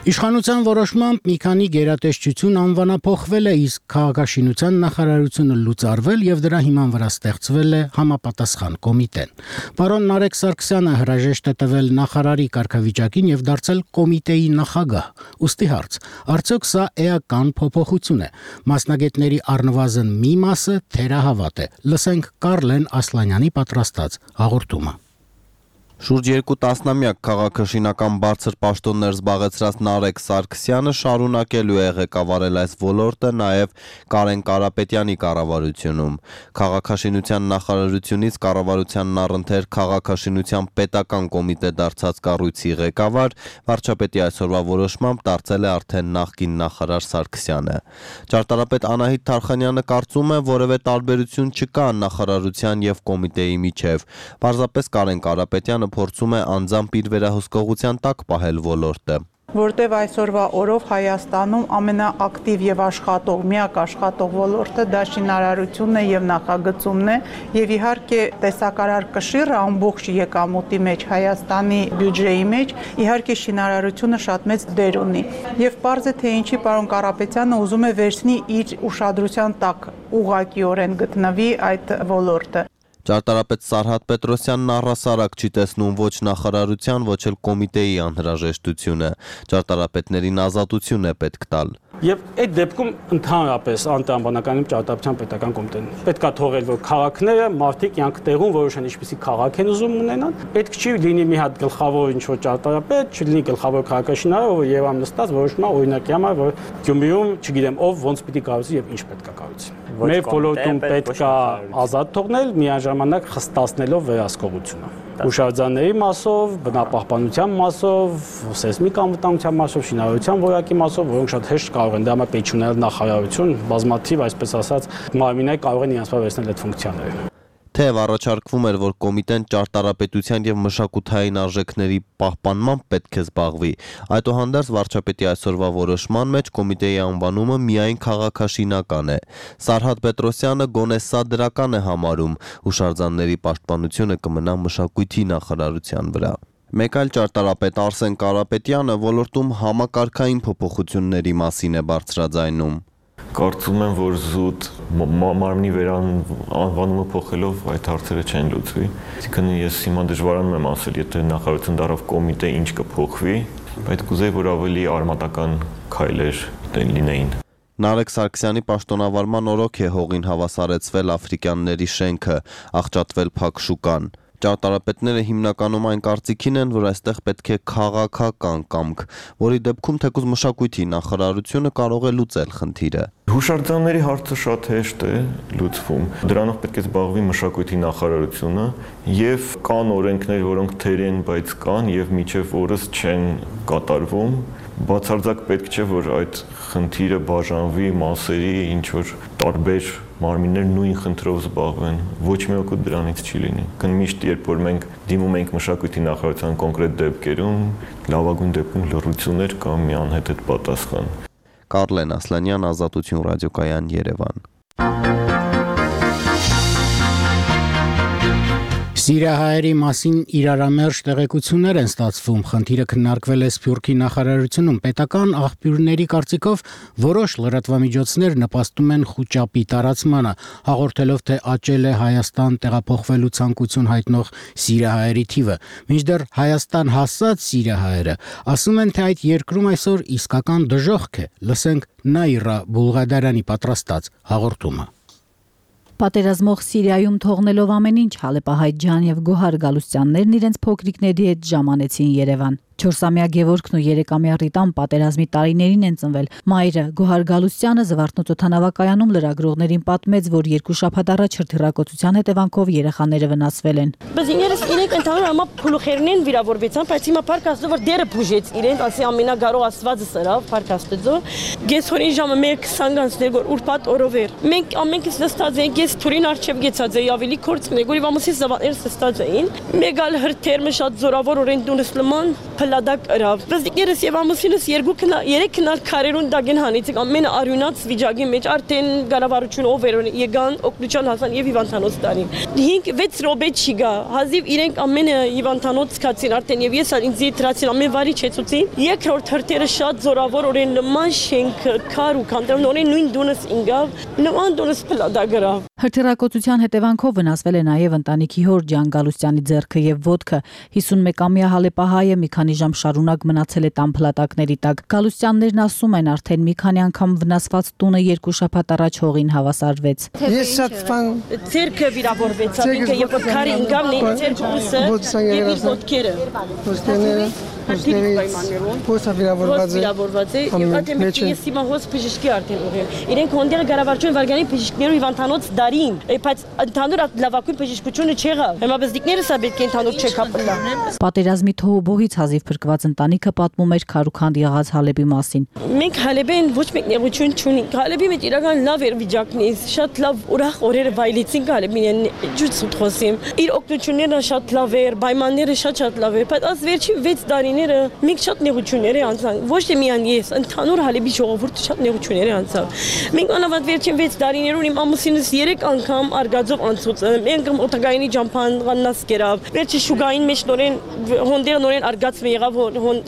Իշխանության որոշմամբ մի քանի գերատեսչություն անվանափոխվել է, իսկ քաղաքաշինության նախարարությունը լուծարվել եւ դրա հիման վրա ստեղծվել է համապատասխան կոմիտեն։ Պարոն Նարեկ Սարգսյանը հրաժեշտ է տվել նախարարի կարգավիճակին եւ դարձել կոմիտեի նախագահ։ Ուստի հարց. արդյոք սա էական փոփոխություն է։ Մասնագետների առնվազն մի մասը թերահավատ է։ Լսենք Կարլեն Ասլանյանի պատրաստած հաղորդումը։ Շուրջ երկու տասնամյակ քաղաքաշինական բարձր պաշտոններ զբաղեցրած Նարեկ Սարգսյանը շարունակելու է ղեկավարել այս ոլորտը նաև Կարեն Կարապետյանի կառավարությունում։ Քաղաքաշինության նախարարությունից կառավարությանն առընթեր քաղաքաշինության պետական կոմիտե դարձած կառույցի ղեկավար, վարչապետի այսօրվա որոշմամբ դարձել է արդեն նախկին նախարար Սարգսյանը։ Ճարտարապետ Անահիտ Թարխանյանը կարծում է, որևէ տարբերություն չկա նախարարության եւ կոմիտեի միջև։ Պարզապես Կարեն Կարապետյանը փորձում է անձամբ իր վերահսկողության տակ պահել ոլորտը։ Որտեւ այսօրվա օրով Հայաստանում ամենաակտիվ եւ աշխատող, միակ աշխատող ոլորտը դա շինարարությունն է եւ նախագծումն է, եւ իհարկե տեսակարար կշիռը ամբողջ եկամուտի մեջ Հայաստանի բյուջեի մեջ իհարկե շինարարությունը շատ մեծ դեր ունի։ Եվ պարզ է թե ինչի պարոն Կարապետյանը ուզում է վերցնի իր ուշադրության տակ ուղղակիորեն գտնվի այդ ոլորտը։ Ճարտարապետ Սարհատ Պետրոսյանն առհասարակ չի տեսնում ոչ նախարարության, ոչ էլ կոմիտեի անհրաժեշտությունը։ Ճարտարապետներին ազատություն է պետք տալ։ Եվ այդ դեպքում ընդհանրապես անտրամաբանական ճարտարապետության պետական կոմիտեն պետք է թողել, որ քաղաքները մարդիկ յանք տեղում որոշեն ինչպեսի քաղաք են ուզում ունենան։ Պետք չի լինի մի հատ գլխավոր ինչ-որ ճարտարապետ, չլինի գլխավոր քաղաքաշինարար, ով Երևանում նստած որոշում է օրինակի համար, որ Գյումրիում, չգիտեմ, ով ոնց պիտի կառուցի եւ ինչ պետք է կառուցի։ Մեր ոլորտում պետք է ազատ թողնել, միաժամանակ խստացնելով վերահսկողությունը։ Հուշարձանների մասով, բնապահպանության մասով, սեյսմիկ անվտանգության մասով, շինարարության որակի մասով, որոնք շատ հեշտ կարող են դա համար պետք չունել նախարարություն, բազմաթիվ, այսպես ասած, մարմիններ կարող են իրենց վերցնել այդ ֆունկցիաները։ Թեև առաջարկվում էր, որ կոմիտեն ճարտարապետության եւ մշակութային արժեքների պահպանմամբ պետք է զբաղվի, այդուհանդերձ վարչապետի այսօրվա որոշման մեջ կոմիտեի անվանումը միայն քաղաքաշինական է։ Սարհատ Պետրոսյանը գոնե սա դրական է համարում, հուշարձանների պաշտպանությունը կմնա մշակույթի նախարարության վրա։ Մեկ այլ ճարտարապետ Արսեն Կարապետյանը ոլորտում համակարգային փոփոխությունների մասին է բարձրաձայնում։ Կարծում եմ, որ զուտ մարմնի վերանվանումը փոխելով այդ հարցերը չեն լուծվի։ Այսինքն ես հիմա դժվարանում եմ ասել, եթե նախարարություն դառավ կոմիտե ինչ կփոխվի, բայց կուզեի, որ ավելի արմատական քայլեր լինեին։ Նարեկ Սարգսյանի պաշտոնավարման օրոք է հողին հավասարեցվել աֆրիկյանների շենքը, աղճատվել փակ շուկան։ Ճարտարապետները հիմնականում այն կարծիքին են, որ այստեղ պետք է քաղաքական կամք, որի դեպքում թեկուզ մշակույթի նախարարությունը կարող է լուծել խնդիրը։ Հուշարձանների հարցը շատ հեշտ է լուծվում։ Դրանով պետք է զբաղվի մշակույթի նախարարությունը եւ կան օրենքներ, որոնք թեր են, բայց կան եւ միջև օրս չեն կատարվում։ Բացարձակ պետք չէ, որ այդ խնդիրը բաժանվի մասերի, ինչ որ տարբեր մարմիններ նույն խնդրով զբաղվեն, ոչ մի օգուտ դրանից չի լինի։ Միշտ երբ որ մենք դիմում ենք մշակույթի նախարարության կոնկրետ դեպքերում, լավագույն դեպքում լրություններ կամ մի անհետ պատասխան։ Կարլեն Ասլանյան, Ազատություն ռադիոկայան, Երևան։ Սիրիահայերի մասին իրարամերժ տեղեկություններ են ստացվում, խնդիրը քննարկվել է Սփյուռքի նախարարությունում, պետական աղբյուրների կարծիքով որոշ լրատվամիջոցներ նպաստում են խուճապի տարածմանը, հաղորդելով, թե աճել է Հայաստան տեղափոխվելու ցանկություն հայտնող սիրիահայերի թիվը, մինչդեռ Հայաստան հասած սիրիահայերը ասում են, թե այդ երկրում այսօր իսկական դժոխք է, լսենք Նաիրա Բուլղադարյանի պատրաստած հաղորդումը։ Պատերազմող Սիրիայում թողնելով ամեն ինչ Հալեպահայ Ջան եւ Գոհար Գալուստյաններն իրենց փոքրիկների հետ ժամանեցին Երևան։ Չորսամյա Գևորգն ու երեկամյա Ռիտան պատերազմի տարիներին են ծնվել։ Մայրը Գոհար Գալուստյանը Զվարթնոց օդանավակայանում լրագրողներին պատմեց, որ երկու շաբաթ առաջ հրթիռակոծության հետևանքով երեխաները վնասվել են։ Բայց ինքներս իրենք ընդհանուր համա փուլուխերնեն վիրավորվեցան, բայց հիմա парք աստծո որ դերը բուժեց իրենց, ասի ամենագարող Աստվածը սրավ, парք աստծո։ Գեսորին ժամը մեկ քսան որ ուրբաթ օրով էր։ Մենք ամենքից նստած ենք, ես թուրին արչև գեցած էի, ավելի կորցն է, որ իվամուսի զավակներս նստած էին։ Մեգալ հրթիռը շատ զորավոր օրեն դունս լման Փլադակ արավ։ Բզիկներս եւ ամուսինս երկու քնա երեք քնալ քարերուն դագեն հանեցին ամենը արյունած վիճակի մեջ արդեն գարավարություն ով էր եկան օկնուչան հասան եւ Հիվանդանոց տարին։ հինգ վեց րոպե չի գա։ Հազիվ իրենք ամենը Հիվանդանոց սկացին արդեն եւ ես ինձ դրացին ամեն վարի չեցուցին։ Երկրորդ հրթիռը շատ զորավոր օրեն նման շենք քար ու կանտրոն օրեն նույն դունս ինգավ նման դունս Փլադակ արավ։ Հրթիռակոծության հետևանքով վնասվել է նաև ընտանիքի հոր Ջան Գալուստյանի ձեռքը եւ ոտքը։ հիսունմեկամյա Հալեպահայը մի քանի ժամ շարունակ մնացել է տան փլատակների տակ։ Գալուստյաններն ասում են, արդեն մի քանի անգամ վնասված տունը երկու շաբաթ առաջ հողին հավասարվեց։ Ես շատ բան ձեռքը վիրավորվեց, ինքը եւ քարի ինգավն է ձեռքուսը եւ իր ոտքերը։ Ոտքերը Փոսա վիրավորված է։ Եթե ես հիմա հոս բժշկի արդեն ուղղեմ։ Իրենք հոնդերը գարավարչուն վարգանի բժիշկներու Հիվանդանոց դարին, բայց ընդհանուր լավագույն բժշկությունը չեղավ։ Հիմա բզդիկներս է պետք է ընդհանուր չեկապլա։ Պատերազմի թոհուբոհից հազիվ փրկված ընտանիքը պատմում էր քարուքանդ եղած Հալեպի մասին։ Մենք Հալեպեն ոչ մեկ նեղություն չունենք։ Հալեպի մեջ իրական լավ էր վիճակն է, շատ լավ ուրախ օրերը վայելեցինք Հալեպին, ջուց խոսիմ։ Իր օգնությունները շատ լավ էր, պայմանները շատ-շատ լավ էր, բայց աս վերջին վեց տարիները մենք շատ նեղություններ անցանք։ Ոչ թե միայն ես, ընդհանուր Հալեպի ժողովուրդը շատ նեղություններ անցավ։ Մենք անավանդ վերջին վեց տարիներուն իմ ամուսինս երեք անգամ արգածով անցուց։ Մենք օտագայինի ջամփան ղաննաս կերավ։ Վերջի շուգային մեջ նորեն հոնդերը նորեն արգած եղավ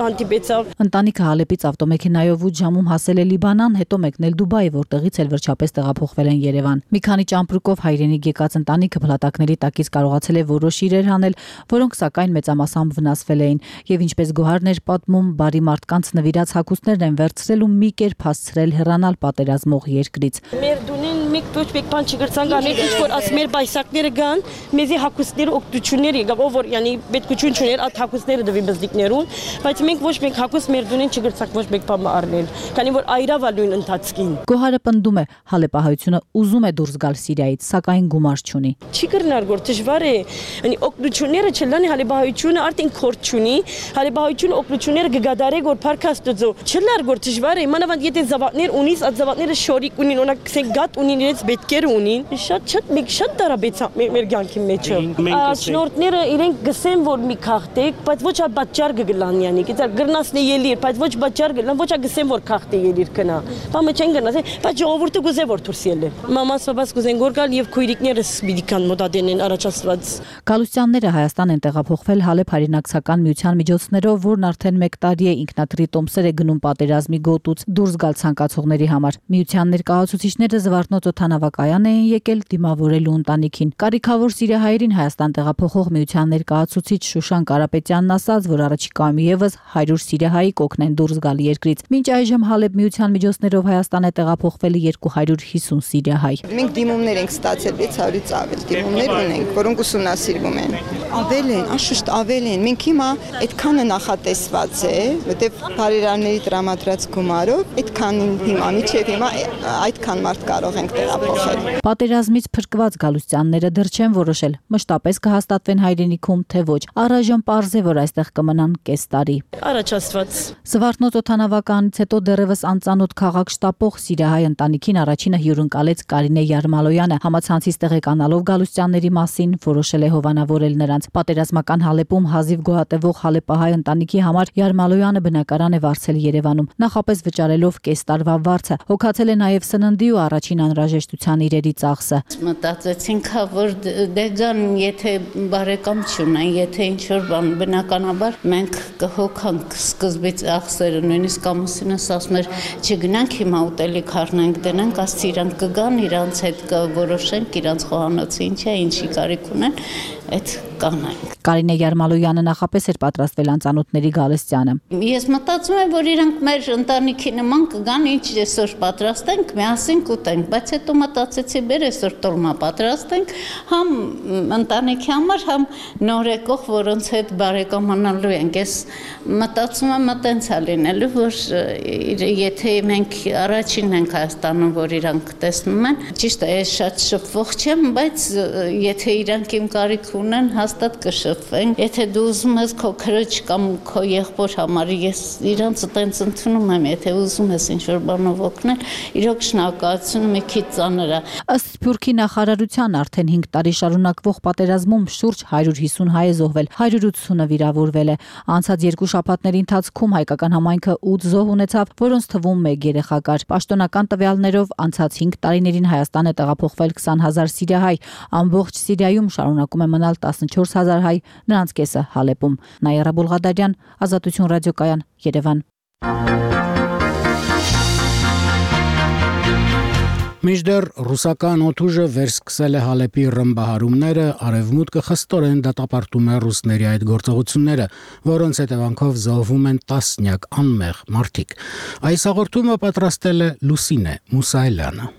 հանդիպեցավ։ Ընտանիքը Հալեպից ավտոմեքենայով ութ ժամում հասել է Լիբանան, հետո մեկնել Դուբայ, որտեղից էլ վերջապես տեղափոխվել են Երևան։ Մի քանի ճամպրուկով հայրենիք եկած ընտանիքը փլատակների տակից կարողացել է որոշ իրեր հանել, որոնք սակայն մեծամասամբ վնասվել էին, եւ ինչպես Գոհարն էր պատմում, բարի մարդկանց նվիրած հագուստներն են վերցրել ու մի կերպ հասցրել հեռանալ պատերազմող երկրից։ Մեր դունին մեկ ոչ մեկ բան չգրցան գանել, ինչ որ աս մեր բայսակները գան, մեզի հագուստները օգտություններ եկավ, ով որ յանի պետքություն չուներ այդ հագուստները դվին բզդիկներուն, բայց մենք ոչ մեկ հագուստ մեր դունին չգրցանք ոչ մեկ բան առնել, քանի որ այրավա նույն ընթացքին։ Գոհարը պնդում է, Հալեպահայությունը ուզում է դուրս գալ Սիրիայից, սակայն գումար չունի։ Չի կրնար գոր դժվար է, յանի օգնությունները չլանի Հալեպահայությունը արդեն քորտ չունի, Հալեպահայությունը օգնությունները գգադարե գոր փարքաստուծո։ Չլար գոր դժվար է, մանավանդ եթե զավակներ ունիս, այդ զավակները շորիկ ունին, օրինակ ասենք գատ ունին, իրենց պետքերը ունին, շատ շատ մեկ շատ տարաբեցա մեր կյանքի մեջ։ Շնորհները իրենք գսեն որ մի քաղտեք, բայց ոչ այդ բաճար գգլան յանի, գիտա գրնասն ելիր, բայց ոչ բաճար գլան, ոչ գսեն որ քաղտե ելիր կնա։ Բամը չեն գնաս, բայց ժողովուրդը գուզե որ դուրս ելը։ Մամաս բաբաս գուզեն գոր գալ եւ քույրիկներս պիտի մոտադենեն առաջացված։ Գալուստյանները Հայաստան են տեղափոխվել Հալեպ հայրենակցական միության միջոցներով, որն արդեն մեկ տարի է ինքնաթիռի տոմսեր է գնում պատերազմի գոտուց դուրս գալ ցանկացողների համար։ Միության ներկայացուցիչները Զվարթնոց օդանավակայան էին եկել դիմավորելու ընտանիքին։ Կարիքավոր սիրիահայերին Հայաստան տեղափոխող միության ներկայացուցիչ Շուշան Կարապետյանն ասաց, որ առաջիկայում եւս հարյուր սիրիահայի կօգնեն դուրս գալ երկրից։ Մինչ այժմ Հալեբ միության միջոցներով Հայաստան է տեղափոխվել երկու հարյուր հիսուն սիրիահայ։ Մենք դիմումներ ենք ստացել վեց հարյուրից ավել դիմումներ ունենք, որոնք ուսումնասիրվում են։ Ավել են, անշուշտ ավել են։ Մենք հիմա այդքանը նախատեսված է, որտեղ բարերարների տրամադրած գումարով այդքանին հիմա միջև հիմա այդքան մարդ կարող ենք տեղափոխել։ Պատերազմից փրկված գալուստյանները դեռ չեն որոշել մշտապես կհաստատվեն հայրենիքում, թե ոչ։ Առայժմ պարզ է, որ այստեղ կմնան կես տարի։ Առաջ Աստված։ Զվարթնոց օդանավականից հետո դեռևս անծանոթ քաղաք շտապող սիրիահայ ընտանիքին առաջինը հյուրընկալեց Կարինե Յարմալոյանը, համացանցից տեղեկանալով գալուստյանների մասին որոշել է հովանավորել նրանց։ Պատերազմական Հալեպում հազիվ գոհատևող հալեպահայ ընտանիքի համար Յարմալոյանը բնակարան է վարձել Երևանում, նախապես վճարելով կես տարվա վարձը։ Հոգացել է նաև սննդի ու առաջին անհրաժեշտության իրերի ծախսը։ Մտածեցինք, որ դե գան, եթե բարեկամ չունեն, եթե ինչ-որ բան, բնականաբար մենք կհոգանք սկզբից ախսերը, նույնիսկ ամուսինս ասում էր, չգնանք հիմա ուտելիք առնենք, դնենք, ասց իրանք կգան, իրանց հետ կորոշենք, իրանց խոհանոցը ինչ է, ինչի կարիք ունեն, այդ կանենք։ Կարինե Յարմալոյանը նախապես էր պատրաստվել անծանոթների գալստյանը։ Ես մտածում եմ, որ իրանք մեր ընտանիքի նման կգան, ինչ այսօր պատրաստենք, միասին կուտենք, բայց հետո մտածեցի, բեր այսօր տոլմա պատրաստենք, համ ընտանիքի համար, համ նոր եկող, որոնց հետ բարեկամանալու ենք։ Ես մտածում եմ, մտենց է լինելու, որ եթե մենք առաջինն ենք Հայաստանում, որ իրանք տեսնում են, ճիշտ է, ես շատ շփվող չեմ, բայց եթե իրանք իմ կարիք ունեն, հաստատ կշփվենք։ Եթե դու ուզում ես քո քրոջ կամ քո եղբոր համար, ես իրանց տենց ընդունում եմ, եթե ուզում ես ինչ-որ բանով օգնել, իրոք շնորհակալություն մի քիչ ծանր է։ Ըստ Սփյուռքի նախարարության արդեն հինգ տարի շարունակվող պատերազմում շուրջ հարյուր հիսուն հայ է զոհվել, հարյուր ութսունը վիրավորվել է։ Անցած երկու շաբաթների ընթացքում հայկական համայնքը ութ զոհ ունեցավ, որոնց թվում մեկ երեխա կար։ Պաշտոնական տվյալներով անցած հինգ տարիներին Հայաստան է տեղափոխվել քսան հազար սիրիահայ, ամբողջ Սիրիայում շարունակում է մնալ տասնչորս հազար հայ, նրանց կեսը Հալեպում։ Նաիրա Բուլղադարյան, Ազատություն ռադիոկայան, Երևան։ Մինչդեռ ռուսական օդուժը վերսկսել է Հալեպի ռմբահարումները, արևմուտքը խստորեն դատապարտում է ռուսների այդ գործողությունները, որոնց հետևանքով զոհվում են տասնյակ անմեղ մարդիկ։ Այս հաղորդումը պատրաստել է Լուսինե Մուսայելյանը։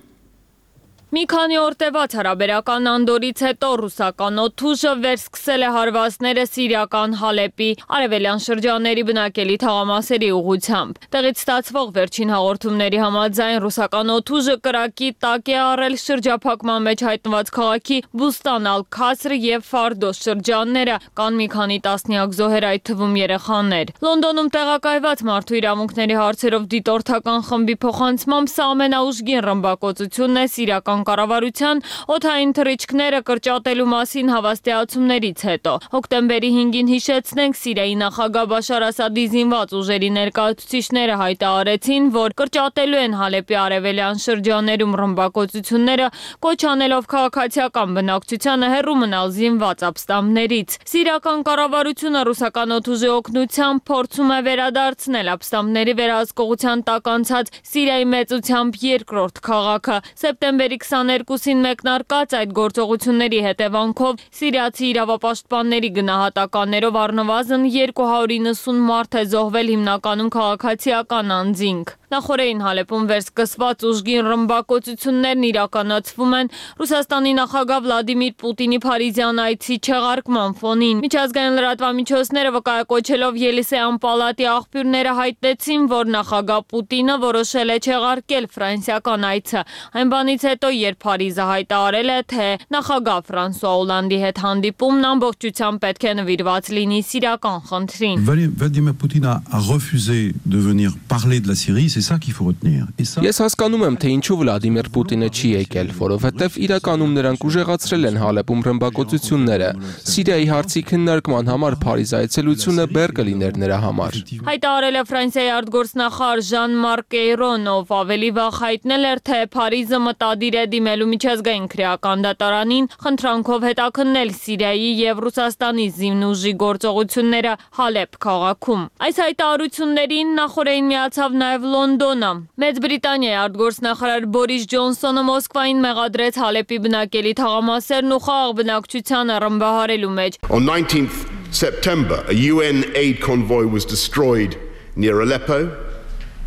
Մի քանի օր տևած հարաբերական անդորից հետո ռուսական օդուժը վերսկսել է հարվածները սիրիական Հալեպի արևելյան շրջանների բնակելի թաղամասերի ուղղությամբ։ Տեղից ստացվող վերջին հաղորդումների համաձայն ռուսական օդուժը կրակի տակ է առել շրջափակման մեջ հայտնված քաղաքի Բուստան ալ-Քասր եւ Ֆարդոս շրջանները, կան մի քանի տասնյակ զոհեր, այդ թվում երեխաներ։ Լոնդոնում տեղակայված մարդու իրավունքների հարցերով դիտորդական խմբի փոխանցմամբ սա ամենաուժգին ռմբակոծությունն է սիրիական կառավարության օդային թռիչքները կրճատելու մասին հավաստիացումներից հետո։ Հոկտեմբերի հինգին հիշեցնենք, Սիրիայի նախագահ Բաշար Ասադի զինված ուժերի ներկայացուցիչները հայտարարեցին, որ կրճատելու են Հալեպի արևելյան շրջաներում ռմբակոծությունները, կոչ անելով քաղաքացիական բնակչությանը հեռու մնալ զինված ապստամբներից։ Սիրիական կառավարությունը ռուսական օդուժի օգնությամբ փորձում է վերադարձնել ապստամբների վերահսկողության տակ անցած Սիրիայի մեծությամբ երկրորդ քաղաքը։ Սեպտեմբերի քսաներկուսին մեկնարկած այդ գործողությունների հետևանքով սիրիացի իրավապաշտպանների գնահատականներով առնվազն երկու հարյուր իննսուն մարդ է զոհվել, հիմնականում քաղաքացիական անձինք։ Նախորդին Հալեպում վերսկսված ուժգին ռմբակոծություններն իրականացվում են Ռուսաստանի նախագահ Վլադիմիր Պուտինի Փարիզյան այցի չեղարկման ֆոնին։ Միջազգային լրատվամիջոցները վկայակոչելով Ելիսեյան պալատի աղբյուրները հայտնեցին, որ նախագահ Պուտինը որոշել է չեղարկել ֆրանսիական այցը։ Այն բանից հետո, երբ Փարիզը հայտարարել է, թե նախագահ Ֆրանսուଆ Օլանդի հետ հանդիպումն ամբողջությամբ պետք է նվիրված լինի սիրիական խնդրին։ Vladimir Poutine a refusé de venir parler de la Syrie, c'est ça qu'il faut retenir. Ես հասկանում եմ, թե ինչու Վլադիմիր Պուտինը չի եկել, որովհետև իրականում նրանք ուժեղացրել են Հալեպում ռմբակոծությունները։ Սիրիայի հարցի քննարկման համար Փարիզ այցելությունը բեռ կլիներ նրա համար։ Հայտարարել է Ֆրանսիայի արտգործնախարար Ժան-Մարկ Էյրոն, ով ավելի վաղ հայտնել էր, թե Փարիզը մտադիր է դիմելու միջազգային քրեական դատարանին, խնդրանքով հետաքննել Սիրիայի եւ Ռուսաստանի զինուժի գործողությունները Հալեպ քաղաքում։ Այս հայտարարություններին նախորդին միացավ նաեւ Լոնդոնը։ Մեծ Բրիտանիայի արտգործնախարար Բորիս Ջոնսոնը Մոսկվային մեղադրեց Հալեպի բնակելի թաղամասերն ու խաղաղ բնակչությանը ռմբահարելու մեջ։ On nineteenth September, a U N aid convoy was destroyed near Aleppo,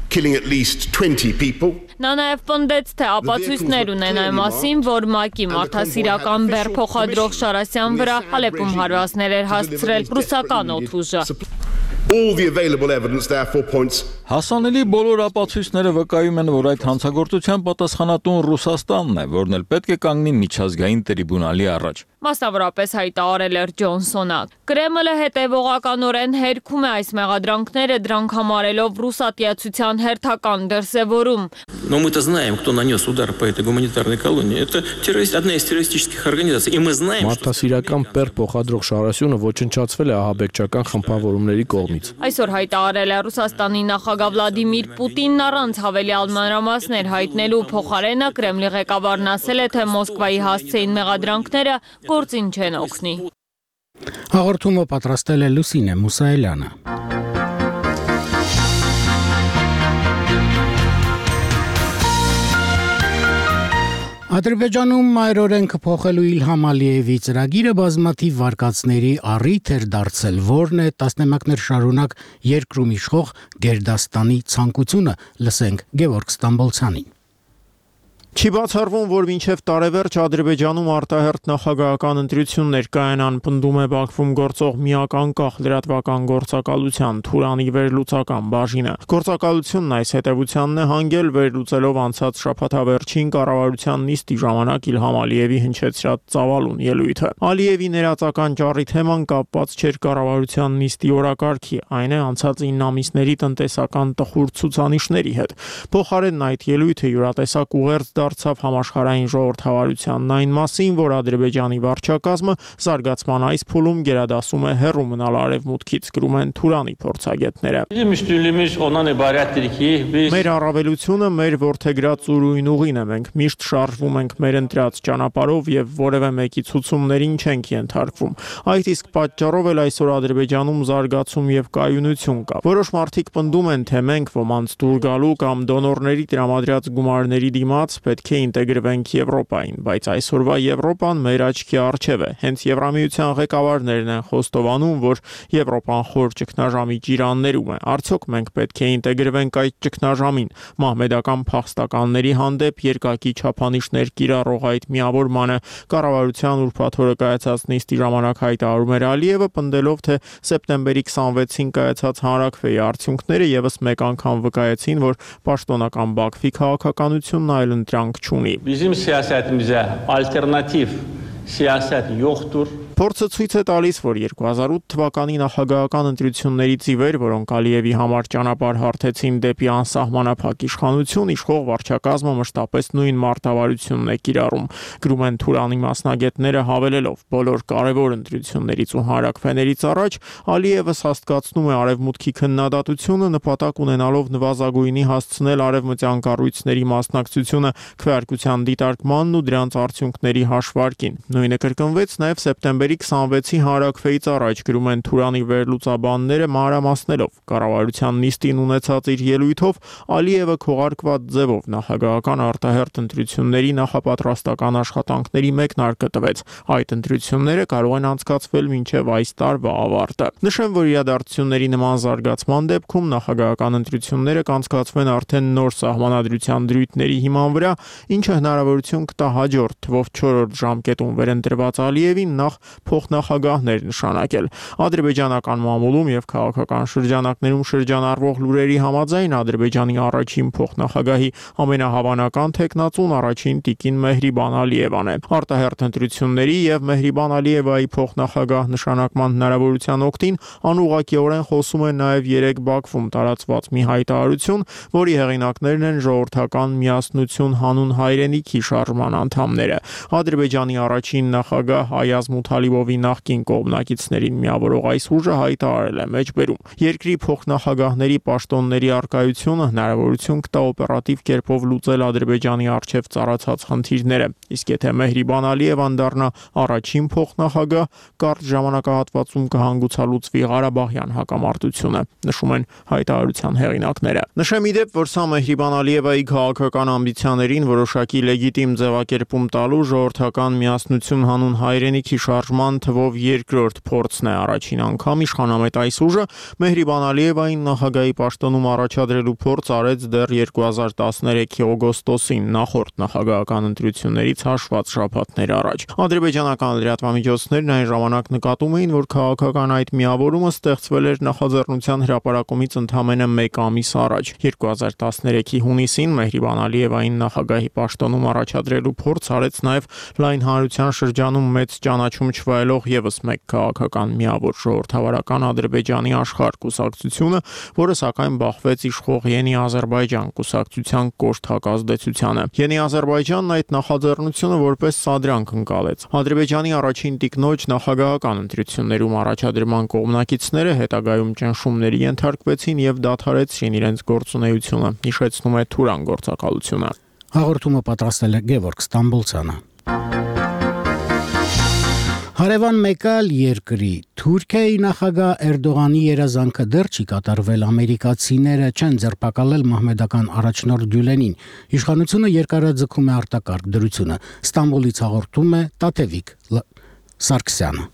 killing at least twenty people. Նա նաև պնդեց, թե ապացույցներ ունեն այն մասին, որ ՄԱԿ-ի մարդասիրական բեռ փոխադրող Շարասյան վրա Հալեպում հարվածներ էր հասցրել ռուսական օդուժը։ All the available evidence therefore points. Հասանելի բոլոր ապացույցները վկայում են, որ այդ հանցագործության պատասխանատուն Ռուսաստանն է, որն էլ պետք է կանգնի միջազգային տրիբունալի առաջ։ Մասնավորապես հայտարարել էր Ջոնսոնը։ Կրեմլը հետևողականորեն հերքում է այս մեղադրանքները, դրանք համարելով ռուսատիացության հերթական դրսևորում։ Но мы-то знаем, кто нанес удар по этой гуманитарной колонии. Это террорист, одна из террористических организаций. И мы знаем, что... Մարդասիրական բեռ փոխադրող Շարասյունը ոչնչացվել է ահաբեկչական խմբավորումների կողմից։ Այսօր հայտարարել է Ռուսաստանի նախագահ Վլադիմիր Պուտինն առանց հավելյալ մանրամասներ հայտնելու փոխարենը Կրեմլի ղեկավարն ասել է, թե Մոսկվայի հասցեին մեղադրանքները գործին չեն օգնի։ Հաղորդումը պատրաստել է Լուսինե Մուսայելյանը։ Ադրբեջանում մայրօրենքը փոխելու Իլհամ Ալիևի ծրագիրը բազմաթիվ վարկածների առիթ էր դարձել, որն է տասնամյակներ շարունակ երկրում իշխող Գերդաստանի ցանկությունը, լսենք Գևորգ Ստամբոլցյանին։ Չի բացառվում, որ մինչև տարեվերջ Ադրբեջանում արտահերթ նախագահական ընտրություններ կայանան, պնդում է Բաքվում գործող միակ անկախ լրատվական գործակալության Թուրանի վերլուծական բաժինը։ Գործակալությունն այս հետևությանն է հանգել վերլուծելով անցած շաբաթավերջին կառավարության նիստի ժամանակ Իլհամ Ալիևի հնչեցրած ծավալուն ելույթը։ Ալիևի ներածական ճառի թեման կապված չէր կառավարության նիստի օրակարգի, այն է անցած ինը ամիսների տնտեսական տխուր ցուցանիշների հետ։ Փոխարենն այդ ելույթը յուրատեսակ ուղերձ դարձավ համաշխարհային ժողովրդավարությանն այն մասին, որ Ադրբեջանի վարչակազմը զարգացման այս փուլում գերադասում է հեռու մնալ արևմուտքից, գրում են Թուրանի փորձագետները։ Մեր առավելությունը մեր որդեգրած ուրույն ուղին է, մենք միշտ շարժվում ենք մեր ընտրած ճանապարհով եւ որևէ մեկի ցուցումներին չենք ենթարկվում։ Այդ իսկ պատճառով էլ այսօր Ադրբեջանում զարգացում եւ կայունություն կա։ Որոշ մարդիկ պնդում են, թե մենք ոմանց դուր գալու կամ դոնորների տրամադրած գումարների դիմաց պետք է ինտեգրվենք Եվրոպային, բայց այսօրվա Եվրոպան մեր աչքի առջև է։ Հենց Եվրամիության ղեկավարներն են խոստովանում, որ Եվրոպան խոր ճգնաժամի ճիրաններում է։ Արդյոք մենք պետք է ինտեգրվենք այդ ճգնաժամին։ Մահմեդական փախստականների հանդեպ երկակի չափանիշներ կիրառող այդ միավորմանը կառավարության ուրբաթ օրը կայացած նիստի ժամանակ հայտարարում էր Ալիևը, պնդելով, թե սեպտեմբերի քսանվեցին կայացած հանրաքվեի արդյունքները եւս մեկ անգամ վկայեցին, որ պաշտոնական Բաքվի քաղաքականությունն այլ ընտրանք չունի։ Bizim siyasetimizə alternativ siyaset yoktur. Փորձը ցույց է տալիս, որ երկու հազար ութ թվականի նախագահական ընտրություններից ի վեր, որոնք Ալիևի համար ճանապարհ հարթեցին դեպի անսահմանափակ իշխանություն, իշխող վարչակազմը մշտապես նույն մարտավարությունն է կիրառում, գրում են Թուրանի մասնագետները հավելելով, բոլոր կարևոր ընտրություններից ու հանրաքվեներից առաջ Ալիևը հաստատում է արևմուտքի քննադատությունը նպատակ ունենալով նվազագույնի հասցնել արևմտյան կառույցների մասնակցությունը քվեարկության դիտարկմանն ու դրանց արդյունքների հաշվարկին։ Նույնը կրկնվեց նաև սեպտեմբերի քսանվեցի հանրաքվեից առաջ, գրում են Թուրանի վերլուծաբանները մանրամասնելով։ Կառավարության նիստին ունեցած իր ելույթով Ալիևը քողարկված ձևով նախագահական արտահերթ ընտրությունների նախապատրաստական աշխատանքների մեկնարկը տվեց։ Այդ ընտրությունները կարող են անցկացվել մինչև այս տարվա ավարտը։ Նշեմ, որ իրադարձությունների նման զարգացման դեպքում նախագահական ընտրությունները կանցկացվեն արդեն նոր սահմանադրության դրույթների հիման վրա, ինչը հնարավորություն կտա հաջորդ թվով չորրորդ ժամկետում վերընտրված Ալիևին նախ փոխնախագահներ նշանակել։ Ադրբեջանական մամուլում եւ քաղաքական շրջանակներում շրջանառվող լուրերի համաձայն Ադրբեջանի առաջին փոխնախագահի ամենահավանական թեկնածուն առաջին տիկին Մեհրիբան Ալիևան է։ Արտահերթ ընտրությունների եւ Մեհրիբան Ալիևայի փոխնախագահ նշանակման հնարավորության օգտին անուղղակիորեն խոսում է նաեւ երեք Բաքվում տարածված մի հայտարարություն, որի հեղինակներն են ժողովրդական միասնություն հանուն հայրենիքի շարժման անդամները։ Ադրբեջանի առաջին նախագահ Այազ Մութալի Ալիևովի նախկին կողմնակիցներին միավորող այս ուժը հայտարարել է մեջբերում. Երկրի փոխնախագահների պաշտոնների առկայությունը հնարավորություն կտա օպերատիվ կերպով լուծել Ադրբեջանի առջև ծառացած խնդիրները, իսկ եթե Մեհրիբան Ալիևան դառնա առաջին փոխնախագահ, կարճ ժամանակահատվածում կհանգուցալուծվի Ղարաբաղյան հակամարտությունը, նշում են հայտարարության հեղինակները։ Նշեմ ի դեպ, որ սա Մեհրիբան Ալիևայի քաղաքական ամբիցիաներին որոշակի լեգիտիմ ձևակերպում տալու ժողովրդական միասնություն հանուն հայրենիքի շարժման թվով երկրորդ փորձն է։ Առաջին անգամ իշխանամետ այս ուժը Մեհրիբան Ալիևային նախագահի պաշտոնում առաջադրելու փորձ արեց դեռ երկու հազար տասներեքի օգոստոսին, նախորդ նախագահական ընտրություններից հաշված շաբաթներ առաջ։ Ադրբեջանական լրատվամիջոցներն այն ժամանակ նկատում էին, որ քաղաքական այդ միավորումը ստեղծվել էր նախաձեռնության հրապարակումից ընդամենը մեկ ամիս առաջ։ երկու հազար տասներեքի հունիսին Մեհրիբան Ալիևային նախագահի պաշտոնում առաջադրելու փորձ արեց նաև լայն հանրության շրջանում մեծ ճանաչում չվայելող եւս մեկ քաղաքական միավոր ժողովրդավարական Ադրբեջանի աշխարհ կուսակցությունը, որը սակայն բախվեց իշխող Յենի Ադրբեջան կուսակցության կոշտ հակազդեցությանը։ Յենի Ադրբեջանն այդ նախաձեռնությունը որպես սադրանք ընկալեց։ Ադրբեջանի առաջին տիկնոջ նախագահական ընտրություններում առաջադրման կողմնակիցները հետագայում ճնշումների ենթարկվեցին եւ դադարեցրին իրենց գործունեությունը, հիշեցնում է Թուրան գործակալությունը։ Հաղորդումը պատրաստել է Գևորգ Ստամբոլցյանը։ Հարևան մեկ այլ երկրի Թուրքիայի նախագահ Էրդողանի երազանքը դեռ չի կատարվել, ամերիկացիները չեն ձերբակալել մահմեդական առաջնորդ Գյուլենին։ Իշխանությունը երկարաձգում է արտակարգ դրությունը։ Ստամբուլից հաղորդում է Տաթևիկ Սարգսյանը։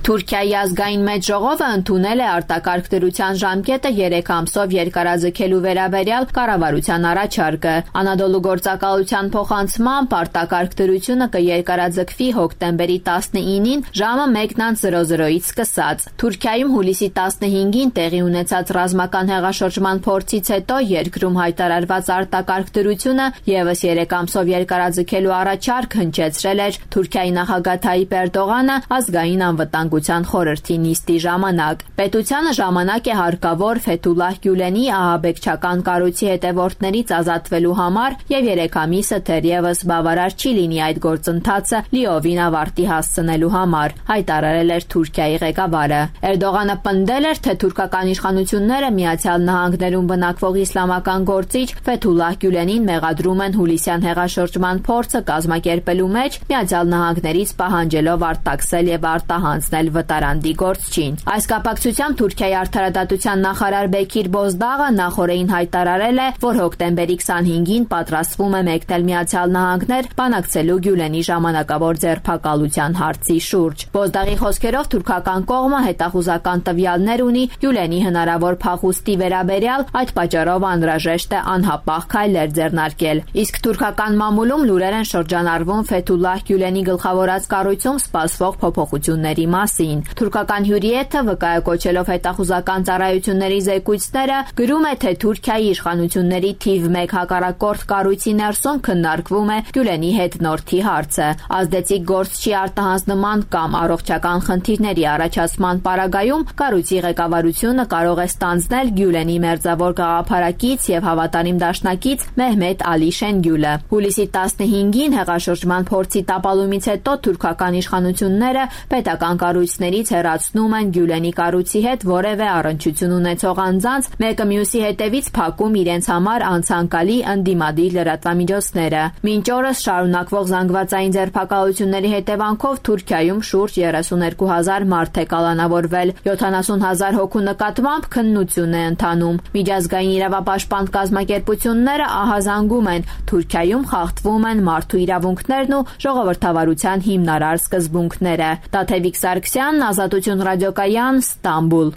Թուրքիայի ազգային մեծ ժողովը ընդունել է արտակարգ դրության ժամկետը երեք ամսով երկարաձգելու վերաբերյալ կառավարության առաջարկը։ Անադոլու գործակալության փոխանցմամբ արտակարգ դրությունը կերկարաձգվի հոկտեմբերի տասնինին ժամը մեկից սկսած։ Թուրքիայում հուլիսի տասնհինգին տեղի ունեցած ռազմական հեղաշրջման փորձից հետո երկրում հայտարարված արտակարգ դրությունը եւս երեք ամսով երկարաձգելու առաջարկ հնչեցրել էր Թուրքիայի նախագահ Թայիպ Էրդողանը ազգային անվտանգության խորհրդի նիստի ժամանակ։ Պետությանը ժամանակ է հարկավոր Ֆեթուլլահ Գյուլենի ահաբեկչական կառույցի հետևորդներից ազատվելու համար եւ երեք ամիսը թերևս բավարար չի լինի այդ գործընթացը լիովին ավարտի հասցնելու համար, հայտարարել էր Թուրքիայի ղեկավարը։ Էրդողանը պնդել էր, թե թուրքական իշխանությունները Միացյալ Նահանգներում բնակվող իսլամական գործիչ Ֆեթուլլահ Գյուլենին մեղադրում են հուլիսյան հեղաշրջման փորձը կազմակերպելու մեջ, Միացյալ Նահանգներից պահանջելով արտաքսել եւ արտահանձնել վտարանդի գործչին։ Այս կապակցությամբ Թուրքիայի արդարադատության նախարար Բեկիր Բոզդաղը նախորդին հայտարարել է, որ հոկտեմբերի քսանհինգին պատրաստվում է մեկնել Միացյալ Նահանգներ բանակցելու Գյուլենի ժամանակավոր ձերբակալության հարցի շուրջ։ Բոզդաղի խոսքերով թուրքական կողմը հետախուզական տվյալներ ունի Գյուլենի հնարավոր փախուստի վերաբերյալ, այդ պատճառով անհրաժեշտ է անհապաղ քայլեր ձեռնարկել։ Իսկ թուրքական մամուլում լուրեր են շրջանառվում Ֆեթուլլահ Գյուլենի գլխավորած կառույցում սպասվող փոփոխությունների մասին։ Թուրքական հյուրիեթը վկայակոչելով հետախուզական ծառայությունների զեկույցները գրում է, թե Թուրքիայի իշխանությունների թիվ մեկ հակառակորդ կառույցի ներսում քննարկվում է Գյուլենի հետնորդի հարցը։ Ազդեցիկ գործչի արտահանձնման կամ առողջական խնդիրների առաջացման պարագայում կառույցի ղեկավարությունը կարող է ստանձնել Գյուլենի մերձավոր գաղափարակից եւ հավատարիմ դաշնակից Մեհմեդ Ալի Շենգյուլը։ Հուլիսի տասնհինգին հեղաշրջման փորձի տապալումից հետո թուրքական իշխանությունները պետական կառույցներից հեռացնում են Գյուլենի կառույցի հետ որևէ առնչություն ունեցող անձանց, մեկը մյուսի հետևից փակում իրենց համար անցանկալի ընդդիմադիր լրատվամիջոցները։ Մինչ օրս շարունակվող զանգվածային ձերբակալությունների հետևանքով Թուրքիայում շուրջ երեսունհինգ հազար մարդ է կալանավորվել, յոթանասուն հազար հոգու նկատմամբ քննություն է ընթանում։ Միջազգային իրավապաշտպան կազմակերպությունները ահազանգում են, Թուրքիայում խախտվում են մարդու իրավունքներն ու ժողովրդավարության հիմնարար սկզբունքները։ Տաթևիկ Սարգսյան, Ազատություն ռադիոկայան, Ստամբուլ։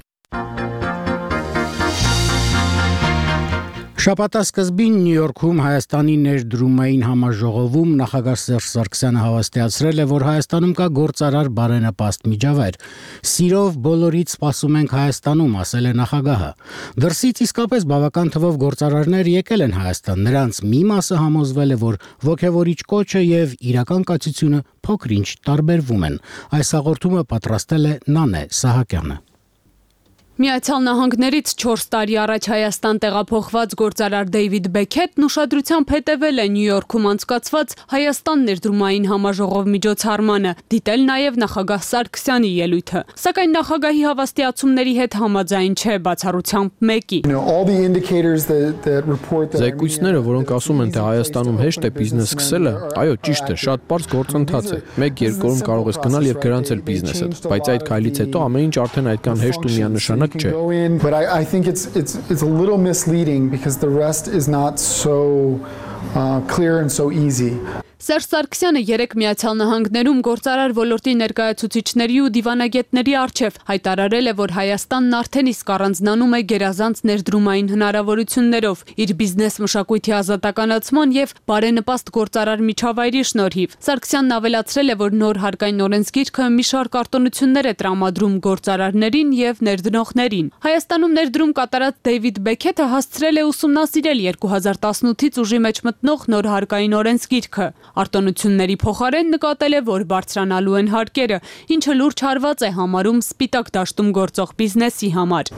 Շաբաթասկզբին Նյու Յորքում Հայաստանի ներդրումային համաժողովում նախագահ Սերժ Սարգսյանը հավաստիացրել է, որ Հայաստանում կա գործարար բարենպաստ միջավայր։ Սիրով բոլորից սպասում ենք Հայաստանում, ասել է նախագահը։ Դրսից իսկապես բավական թվով գործարարներ եկել են Հայաստան, նրանց մի մասը համոզվել է, որ ոգևորիչ կոչը եւ իրական կացությունը փոքր-ինչ տարբերվում են։ Այս հաղորդումը պատրաստել է Նանե Սահակյանը։ Միացյալ Նահանգներից չորս տարի առաջ Հայաստան տեղափոխված գործարար Դեյվիդ Բեքեթն ուշադրությամբ հետևել է Նյու Յորքում անցկացված Հայաստան ներդրումային համաժողով միջոցառմանը, դիտել նաև նախագահ Սարգսյանի ելույթը։ Սակայն նախագահի հավաստիացումների հետ համաձայն չէ բացառությամբ մեկի։ Զեկույցները, որոնք ասում են, թե Հայաստանում հեշտ է բիզնես սկսելը, այո, ճիշտ է, շատ պարզ գործընթաց է։ Մեկ-երկու օրում կարող ես գնալ եւ գրանցել բիզնեսը, բայց այդ քայլից հետո ամեն ինչ արդեն այդքան հեշտ ու միանշանակ But I, I think it's it's it's a little misleading because the rest is not so uh, clear and so easy. Սերժ Սարգսյանը երեք Միացյալ Նահանգներում գործարար ոլորտի ներկայացուցիչների ու դիվանագետների առջև հայտարարել է, որ Հայաստանն արդեն իսկ առանձնանում է գերազանց ներդրումային հնարավորություններով, իր բիզնես մշակույթի ազատականացման եւ բարենպաստ գործարար միջավայրի շնորհիվ։ Սարգսյանն ավելացրել է, որ նոր հարկային օրենսգիրքը մի շարք արտոնություններ է տրամադրում գործարարներին եւ ներդնողներին։ Հայաստանում ներդրում կատարած Դեյվիդ Բեքեթը հասցրել է ուսումնասիրել երկու հազար տասնութից ուժի մեջ մտնող նոր հարկային օրենսգիրքը։ Արտոնությունների փոխարեն նկատել է, որ բարձրանալու են հարկերը, ինչը լուրջ հարված է համարում սպիտակ դաշտում գործող բիզնեսի համար։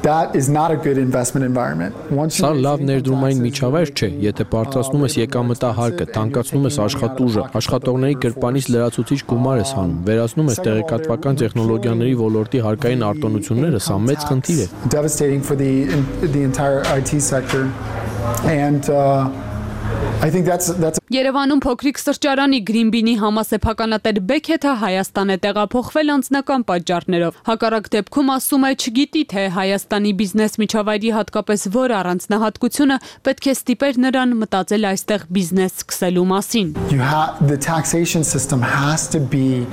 Սա լավ ներդրումային միջավայր չէ, եթե բարձրացնում ես եկամտահարկը, թանկացնում ես աշխատուժը, աշխատողների գրպանից լրացուցիչ գումար ես հանում, վերացնում ես տեղեկատվական տեխնոլոգիաների ոլորտի հարկային արտոնությունները, սա մեծ խնդիր է։ I think that's that's Երևանում փոքրիկ սրճարանի Գրինբինի համասեփականատեր Բեքեթը Հայաստան է տեղափոխվել անձնական պատճառներով։ Հակառակ դեպքում ասում է, չգիտի թե Հայաստանի բիզնես միջավայրի հատկապես որ առանձնահատկությունը պետք է ստիպեր նրան մտածել այստեղ բիզնես սկսելու մասին։ You have the taxation system has to be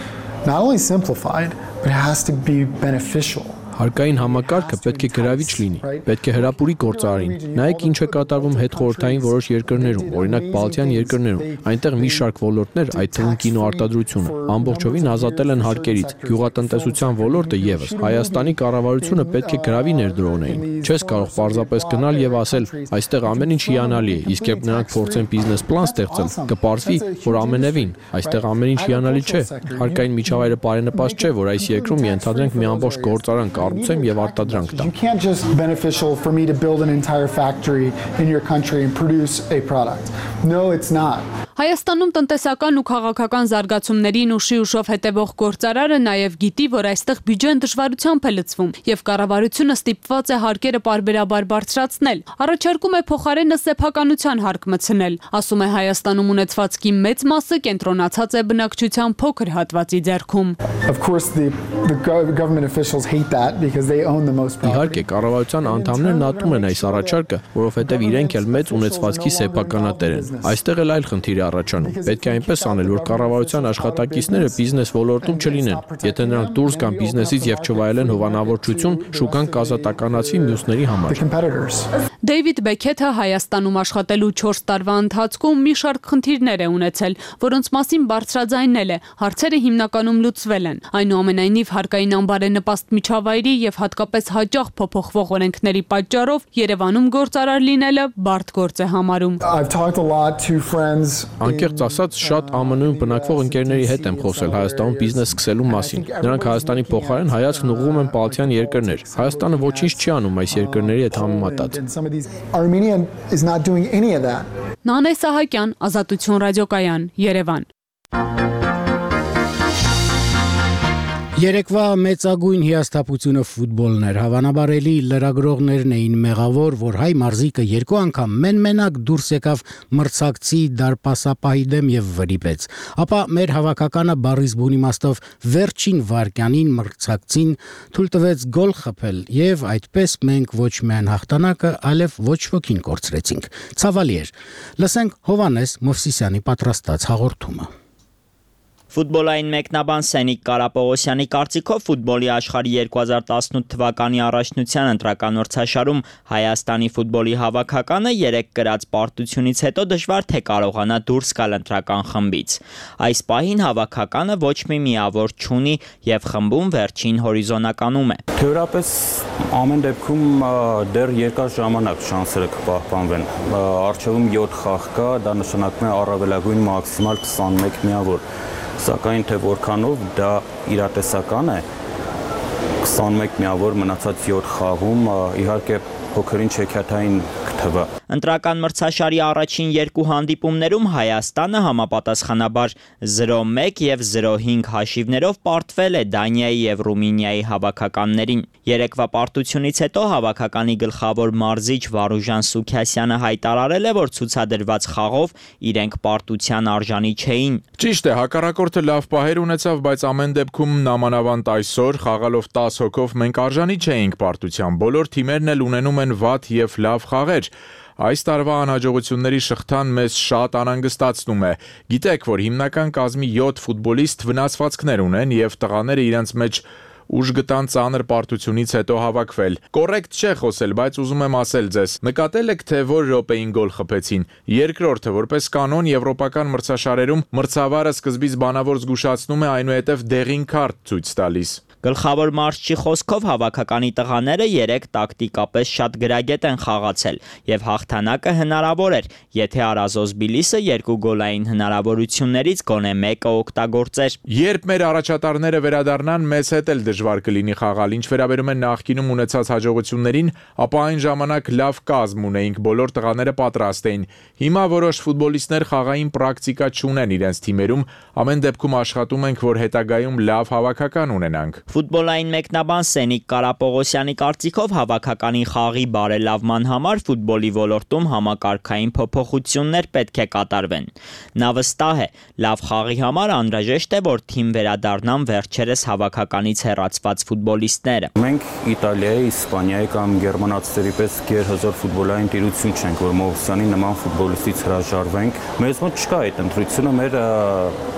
not only simplified, but it has to be beneficial. Հարկային համակարգը պետք է գրավիչ լինի, պետք է հրապուրի գործարարին։ Նայեք ինչ է կատարվում հետխորհրդային որոշ երկրներում, օրինակ Բալթյան երկրներում։ Այնտեղ մի շարք ոլորտներ, այդ թվում կինոարտադրությունը, ամբողջովին ազատել են հարկերից։ Գյուղատնտեսության ոլորտը եւս։ Հայաստանի կառավարությունը պետք է գրավի ներդրողներին։ Չես կարող պարզապես գնալ եւ ասել, այստեղ ամեն ինչ հիանալի է, իսկ երբ նրանք փորձեն բիզնես պլան ստեղծել, կպարզվի, որ ամենևին այստեղ ամեն ինչ հիանալի չէ։ Հարկային միջավայրը բարենպաստ չէ, որ այս երկրում ենթադրենք մի ամբողջ գործարան կառուցեմ եւ արտադրանք տամ։ You can't just beneficial for me to build an entire factory in your country and produce a product. No, it's not. Հայաստանում տնտեսական ու քաղաքական զարգացումներին ուշի ուշով հետևող գործարարը նաև գիտի, որ այստեղ բյուջեն դժվարությամբ է լցվում եւ կառավարությունը ստիպված է հարկերը պարբերաբար բարձրացնել։ Առաջարկում է փոխարենը սեփականության հարկ մտցնել։ Ասում է Հայաստանում ունեցվածքի մեծ մասը կենտրոնացած է բնակչության փոքր հատվածի ձեռքում։ Of course the the government officials hate that because they own the most property. Իհարկե կառավարության անդամներն ատում են այս առաջարկը, որովհետեւ իրենք էլ մեծ ունեցվածքի սեփականատեր են։ Այստեղ էլ այլ խնդիր առաջանում։ Պետք է այնպես անել, որ կառավարության աշխատակիցները բիզնես ոլորտում չլինեն։ Եթե նրանք դուրս գան բիզնեսից եւ չվայելեն հովանավորչություն, շուկան կազատականացվի մյուսների համար։ Դեյվիդ Բեքեթը Հայաստանում աշխատելու չորս տարվա ընթացքում մի շարք խնդիրներ է ունեցել, որոնց մասին բարձրաձայնել է։ Հարցերը հիմնականում լուծվել են։ Այնուամենայնիվ հարկային անբարենպաստ միջավայրի եւ հատկապես հաճախ փոփոխվող օրենքների պատճառով Երևանում գործարար լինելը բարդ գործ է համարում։ Անկեղծ ասած, շատ Α M N-ում բնակվող ընկերների հետ եմ խոսել Հայաստանում բիզնես սկսելու մասին։ Նրանք Հայաստանի փոխարեն հայացքն ուղղում են Բալթյան երկրներ։ Հայաստանը ոչինչ չի անում այս երկրների հետ համեմատած։ Armenia is not doing any of that. Նանե Սահակյան, Ազատություն ռադիոկայան, Երևան։ Երեկվա մեծագույն հիասթափությունը ֆուտբոլն էր, հավանաբար էլի լրագրողներն էին մեղավոր, որ հայ մարզիկը երկու անգամ մեն-մենակ դուրս եկավ մրցակցի դարպասապահի դեմ եւ վրիպեց, ապա մեր հավաքականը բառից բուն իմաստով վերջին վարկյանին մրցակցին թույլ տվեց գոլ խփել եւ այդպես մենք ոչ միայն հաղթանակը, այլև ոչ ոքին կորցրեցինք։ Ցավալի էր։ Լսենք Հովանես Մովսիսյանի պատրաստած հաղորդումը։ Ֆուտբոլային մեկնաբան Սենիկ Կարապողոսյանի կարծիքով ֆուտբոլի աշխարհի երկու հազար տասնութ թվականի առաջնության ընտրական մրցաշարում Հայաստանի ֆուտբոլի հավաքականը երեք կրած պարտությունից հետո դժվար թե կարողանա դուրս գալ ընտրական խմբից։ Այս պահին հավաքականը ոչ մի միավոր չունի եւ խմբում վերջին հորիզոնականում է։ Թեորապես ամեն դեպքում դեռ երկար ժամանակ շանսերը կպահպանվեն։ Առջևում յոթ խաղ կա, դա նշանակում է առավելագույն մաքսիմալ քսանմեկ միավոր։ Սակայն թե որքանով դա իրատեսական է, քսանմեկ միավոր մնացած յոթ խաղում իհարկե փոքրին չեքիաթային կթվա։ Ընտրական մրցաշարի առաջին երկու հանդիպումներում Հայաստանը համապատասխանաբար զրո մեկ եւ զրո հինգ հաշիվներով պարտվել է Դանիայի եւ Ռումինիայի հավաքականներին։ Երեկվա պարտությունից հետո հավաքականի գլխավոր մարզիչ Վարուժան Սուքիասյանը հայտարարել է, որ ցուցադրված խաղով իրենք պարտության արժանի չէին։ Ճիշտ է, հակառակորդը լավ պահեր ունեցավ, բայց ամեն դեպքում նամանավանդ այսօր խաղալով տասը հոգով մենք արժանի չէինք պարտության։ Բոլոր թիմերն էլ ունենում են վատ եւ լավ խաղեր։ Այս տարվա անհաջողությունների շղթան մեզ շատ անհանգստացնում է։ Գիտեք, որ հիմնական կազմի յոթ ֆուտբոլիստ վնասվածքներ ունեն եւ տղաները իրենց մեջ ուժ գտան ծանր պարտությունից հետո հավաքվել։ Կոռեկտ չէ խոսել, բայց ուզում եմ ասել ձեզ, նկատել եք, թե որ րոպեին գոլ խփեցին։ Երկրորդը, որպես կանոն եվրոպական մրցաշարերում մրցավարը սկզբից բանավոր զգուշացնում է, այնուհետև դեղին քարտ ցույց տալիս։ Գլխավոր մարզչի խոսքով հավաքականի տղաները երեք տակտիկապես շատ գրագետ են խաղացել եւ հաղթանակը հնարավոր էր, եթե Արազոս Բիլիսը երկու գոլային հնարավորություններից գոնե մեկը օգտագործեր։ Երբ մեր առաջատարները վերադառնան, մեզ հետ էլ դժվար կլինի խաղալ, ինչ վերաբերում է նախկինում ունեցած հաջողություններին, ապա այն ժամանակ լավ կազմ ունեինք, բոլոր տղաները պատրաստ էին։ Հիմա որոշ ֆուտբոլիստներ խաղային պրակտիկա չունեն իրենց թիմերում, ամեն դեպքում աշխատում ենք, որ հետագայում լավ հավաքական ունենանք։ Ֆուտբոլային մեկնաբան Սենիկ Կարապողոսյանի կարծիքով հավաքականի խաղի բարելավման համար ֆուտբոլի ոլորտում համակարգային փոփոխություններ պետք է կատարվեն։ Նա վստահ է, լավ խաղի համար անհրաժեշտ է, որ թիմ վերադառնան վերջերս հավաքականից հեռացված ֆուտբոլիստները։ Մենք Իտալիայի, Իսպանիայի կամ գերմանացիների պես գերհզոր ֆուտբոլային տիրություն չենք, որ Մովսյանի նման ֆուտբոլիստից հրաժարվենք։ Մեզ մոտ չկա այդ ընտրությունը, մեր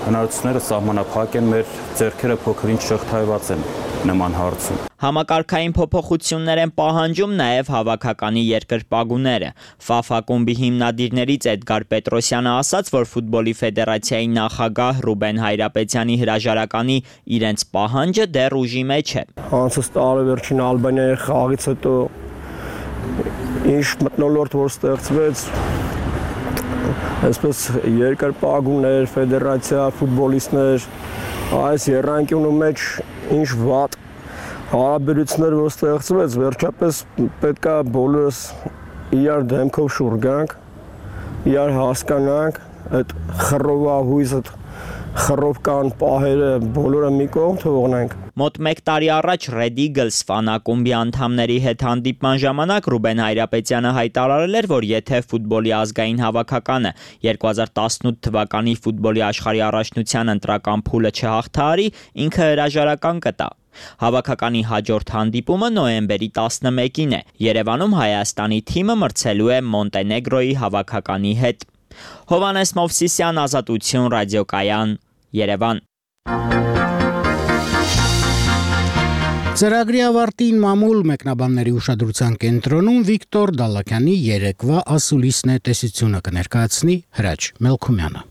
հնարավորությունները սահմանափակ են, մեր ձեռքերը փոքրինչ շղթայված են նման հարցում։ Համակարգային փոփոխություններ են պահանջում նաև հավաքականի երկրպագուները։ ՖԱՖ ակումբի հիմնադիրներից Էդգար Պետրոսյանը ասաց, որ ֆուտբոլի ֆեդերացիայի նախագահ Ռուբեն Հայրապետյանի հրաժարականի իրենց պահանջը դեռ ուժի մեջ է։ Անցած տարեվերջին Ալբանիայի խաղից հետո ինչ մթնոլորտ որ ստեղծվեց, այսպես երկրպագուներ, ֆեդերացիա, ֆուտբոլիստներ, այս երանգյունու մեջ ինչ վատ հարաբերություններ որ ստեղծվեց, վերջապես պետքա բոլորս իրար դեմքով շուռ գանք, իրար հասկանանք, այդ խռովահույս, այդ խռովկան պահերը բոլորը մի կողմ թողնենք։ Մոտ մեկ տարի առաջ Red Eagles ֆանակումբի անդամների հետ հանդիպման ժամանակ Ռուբեն Հայրապետյանը հայտարարել էր, որ եթե ֆուտբոլի ազգային հավաքականը երկու հազար տասնութ թվականի ֆուտբոլի աշխարհի առաջնության ընտրական փուլը չհաղթահարի, ինքը հրաժարական կտա։ Հավաքականի հաջորդ հանդիպումը նոյեմբերի տասնմեկին է։ Երևանում Հայաստանի թիմը մրցելու է Մոնտենեգրոյի հավաքականի հետ։ Հովանես Մովսիսյան, Ազատություն, ռադիոկայան, Երևան։ Ծրագրի ավարտին մամուլ մեկնաբանների ուշադրության կենտրոնում Վիկտոր Դալաքյանի երեկվա ասուլիսն է տեսությունը կներկայացնի Հրաչ Մելքումյանը։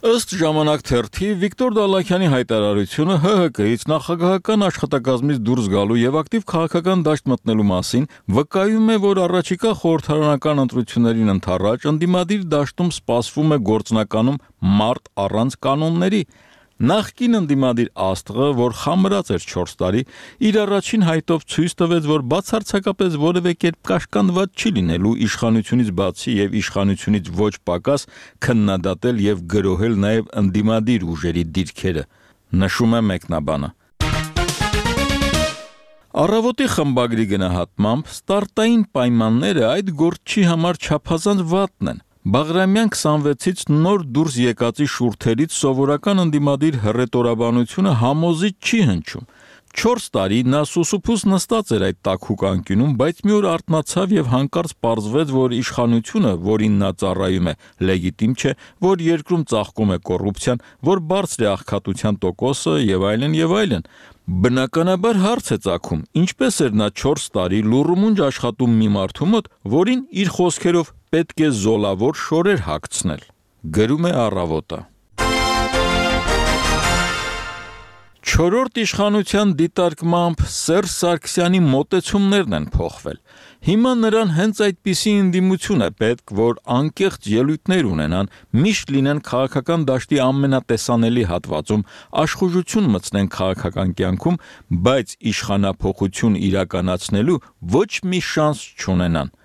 Ըստ ժամանակ թերթի Վիկտոր Դալաքյանի հայտարարությունը Հ Հ Կ-ից նախագահական աշխատակազմից դուրս գալու եւ ակտիվ քաղաքական դաշտ մտնելու մասին վկայում է, որ առաջիկա խորհրդարանական ընտրություններին ընդառաջ ընդդիմադիր դաշտում սպասվում է գործնականում մարտ առանց կանոնների։ Նախկին ընդդիմադիր աստղը, որ խամրած էր չորս տարի, իր առաջին հայտով ցույց տվեց, որ բացարձակապես որևէ կերպ կաշկանդված չի լինելու իշխանությունից բացի եւ իշխանությունից ոչ պակաս քննադատել եւ գրոհել նաեւ ընդդիմադիր ուժերի դիրքերը, նշում է մեկնաբանը։ Առավոտի խմբագրի գնահատմամբ ստարտային պայմանները այդ գործի համար չափազանց վատն են։ Բաղրամյան քսանվեցից նոր դուրս եկածի շուրթերից սովորական ընդդիմադիր հռետորաբանությունը համոզիչ չի հնչում։ Չորս տարի նա սուսուփուս նստած էր այդ տաքուկ անկյունում, բայց մի օր արթնացավ եւ հանկարծ պարզվեց, որ իշխանությունը, որին նա ծառայում է, լեգիտիմ չէ, որ երկրում ծաղկում է կոռուպցիան, որ բարձր է աղքատության տոկոսը եւ այլն եւ այլն։ Բնականաբար հարց է ծագում, ինչպես էր նա չորս տարի լուռումունջ աշխատում մի մարդու մոտ, որին իր խոսքերով պետք է զոլավոր շորեր հագցնել։ Գրում է Առավոտը։ Չորրորդ իշխանության դիտարկմամբ Սերժ Սարգսյանի մոտեցումներն են փոխվել։ Հիմա նրան հենց այդպիսի ընդդիմություն է պետք, որ անկեղծ ելույթներ ունենան, միշտ լինեն քաղաքական դաշտի ամենատեսանելի հատվածում, աշխուժություն մտցնեն քաղաքական կյանքում, բայց իշխանափոխություն իրականացնելու ոչ մի շանս չունենան։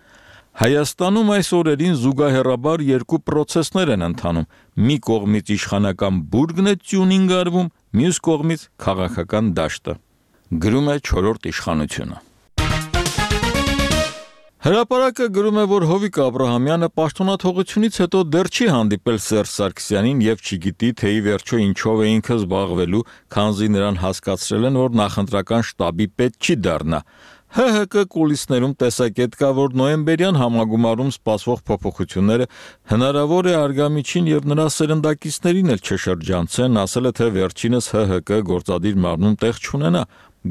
Հայաստանում այս օրերին զուգահեռաբար երկու պրոցեսներ են ընթանում։ Մի կողմից իշխանական բուրգն է տյունինգ արվում, մյուս կողմից քաղաքական դաշտը։ Գրում է չորրորդ իշխանությունը։ Հրապարակը գրում է, որ Հովիկ Աբրահամյանը պաշտոնաթողությունից հետո դեռ չի հանդիպել Սերժ Սարգսյանին եւ չգիտի, թե ի վերջո ինչով է ինքը զբաղվելու, քանզի նրան հասկացրել են, որ նախընտրական շտաբի պետ չի դառնա։ Հ Հ Կ կուլիսներում տեսակետ կա, որ նոյեմբերյան համագումարում սպասվող փոփոխությունները հնարավոր է արգամիջին եւ նրա սերնդակիցներին էլ չշրջանցեն, ասել է, թե վերջինս Հ Հ Կ գործադիր մարմնում տեղ չունենա։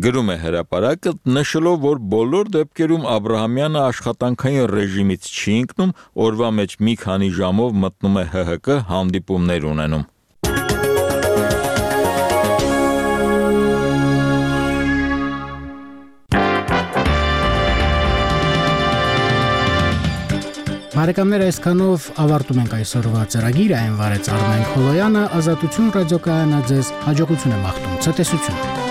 Գրում է հրապարակը, նշելով, որ բոլոր դեպքերում Աբրահամյանը աշխատանքային ռեժիմից չի ընկնում, օրվա մեջ մի քանի ժամով մտնում է Հ Հ Կ հանդիպումներ ունենում։ Բարեկամներ, այսքանով ավարտում ենք այսօրվա ծրագիրը, այն վարեց Արմեն Խոլոյանը, Ազատություն ռադիոկայանը ձեզ հաջողություն է մաղթում, ցտեսություն։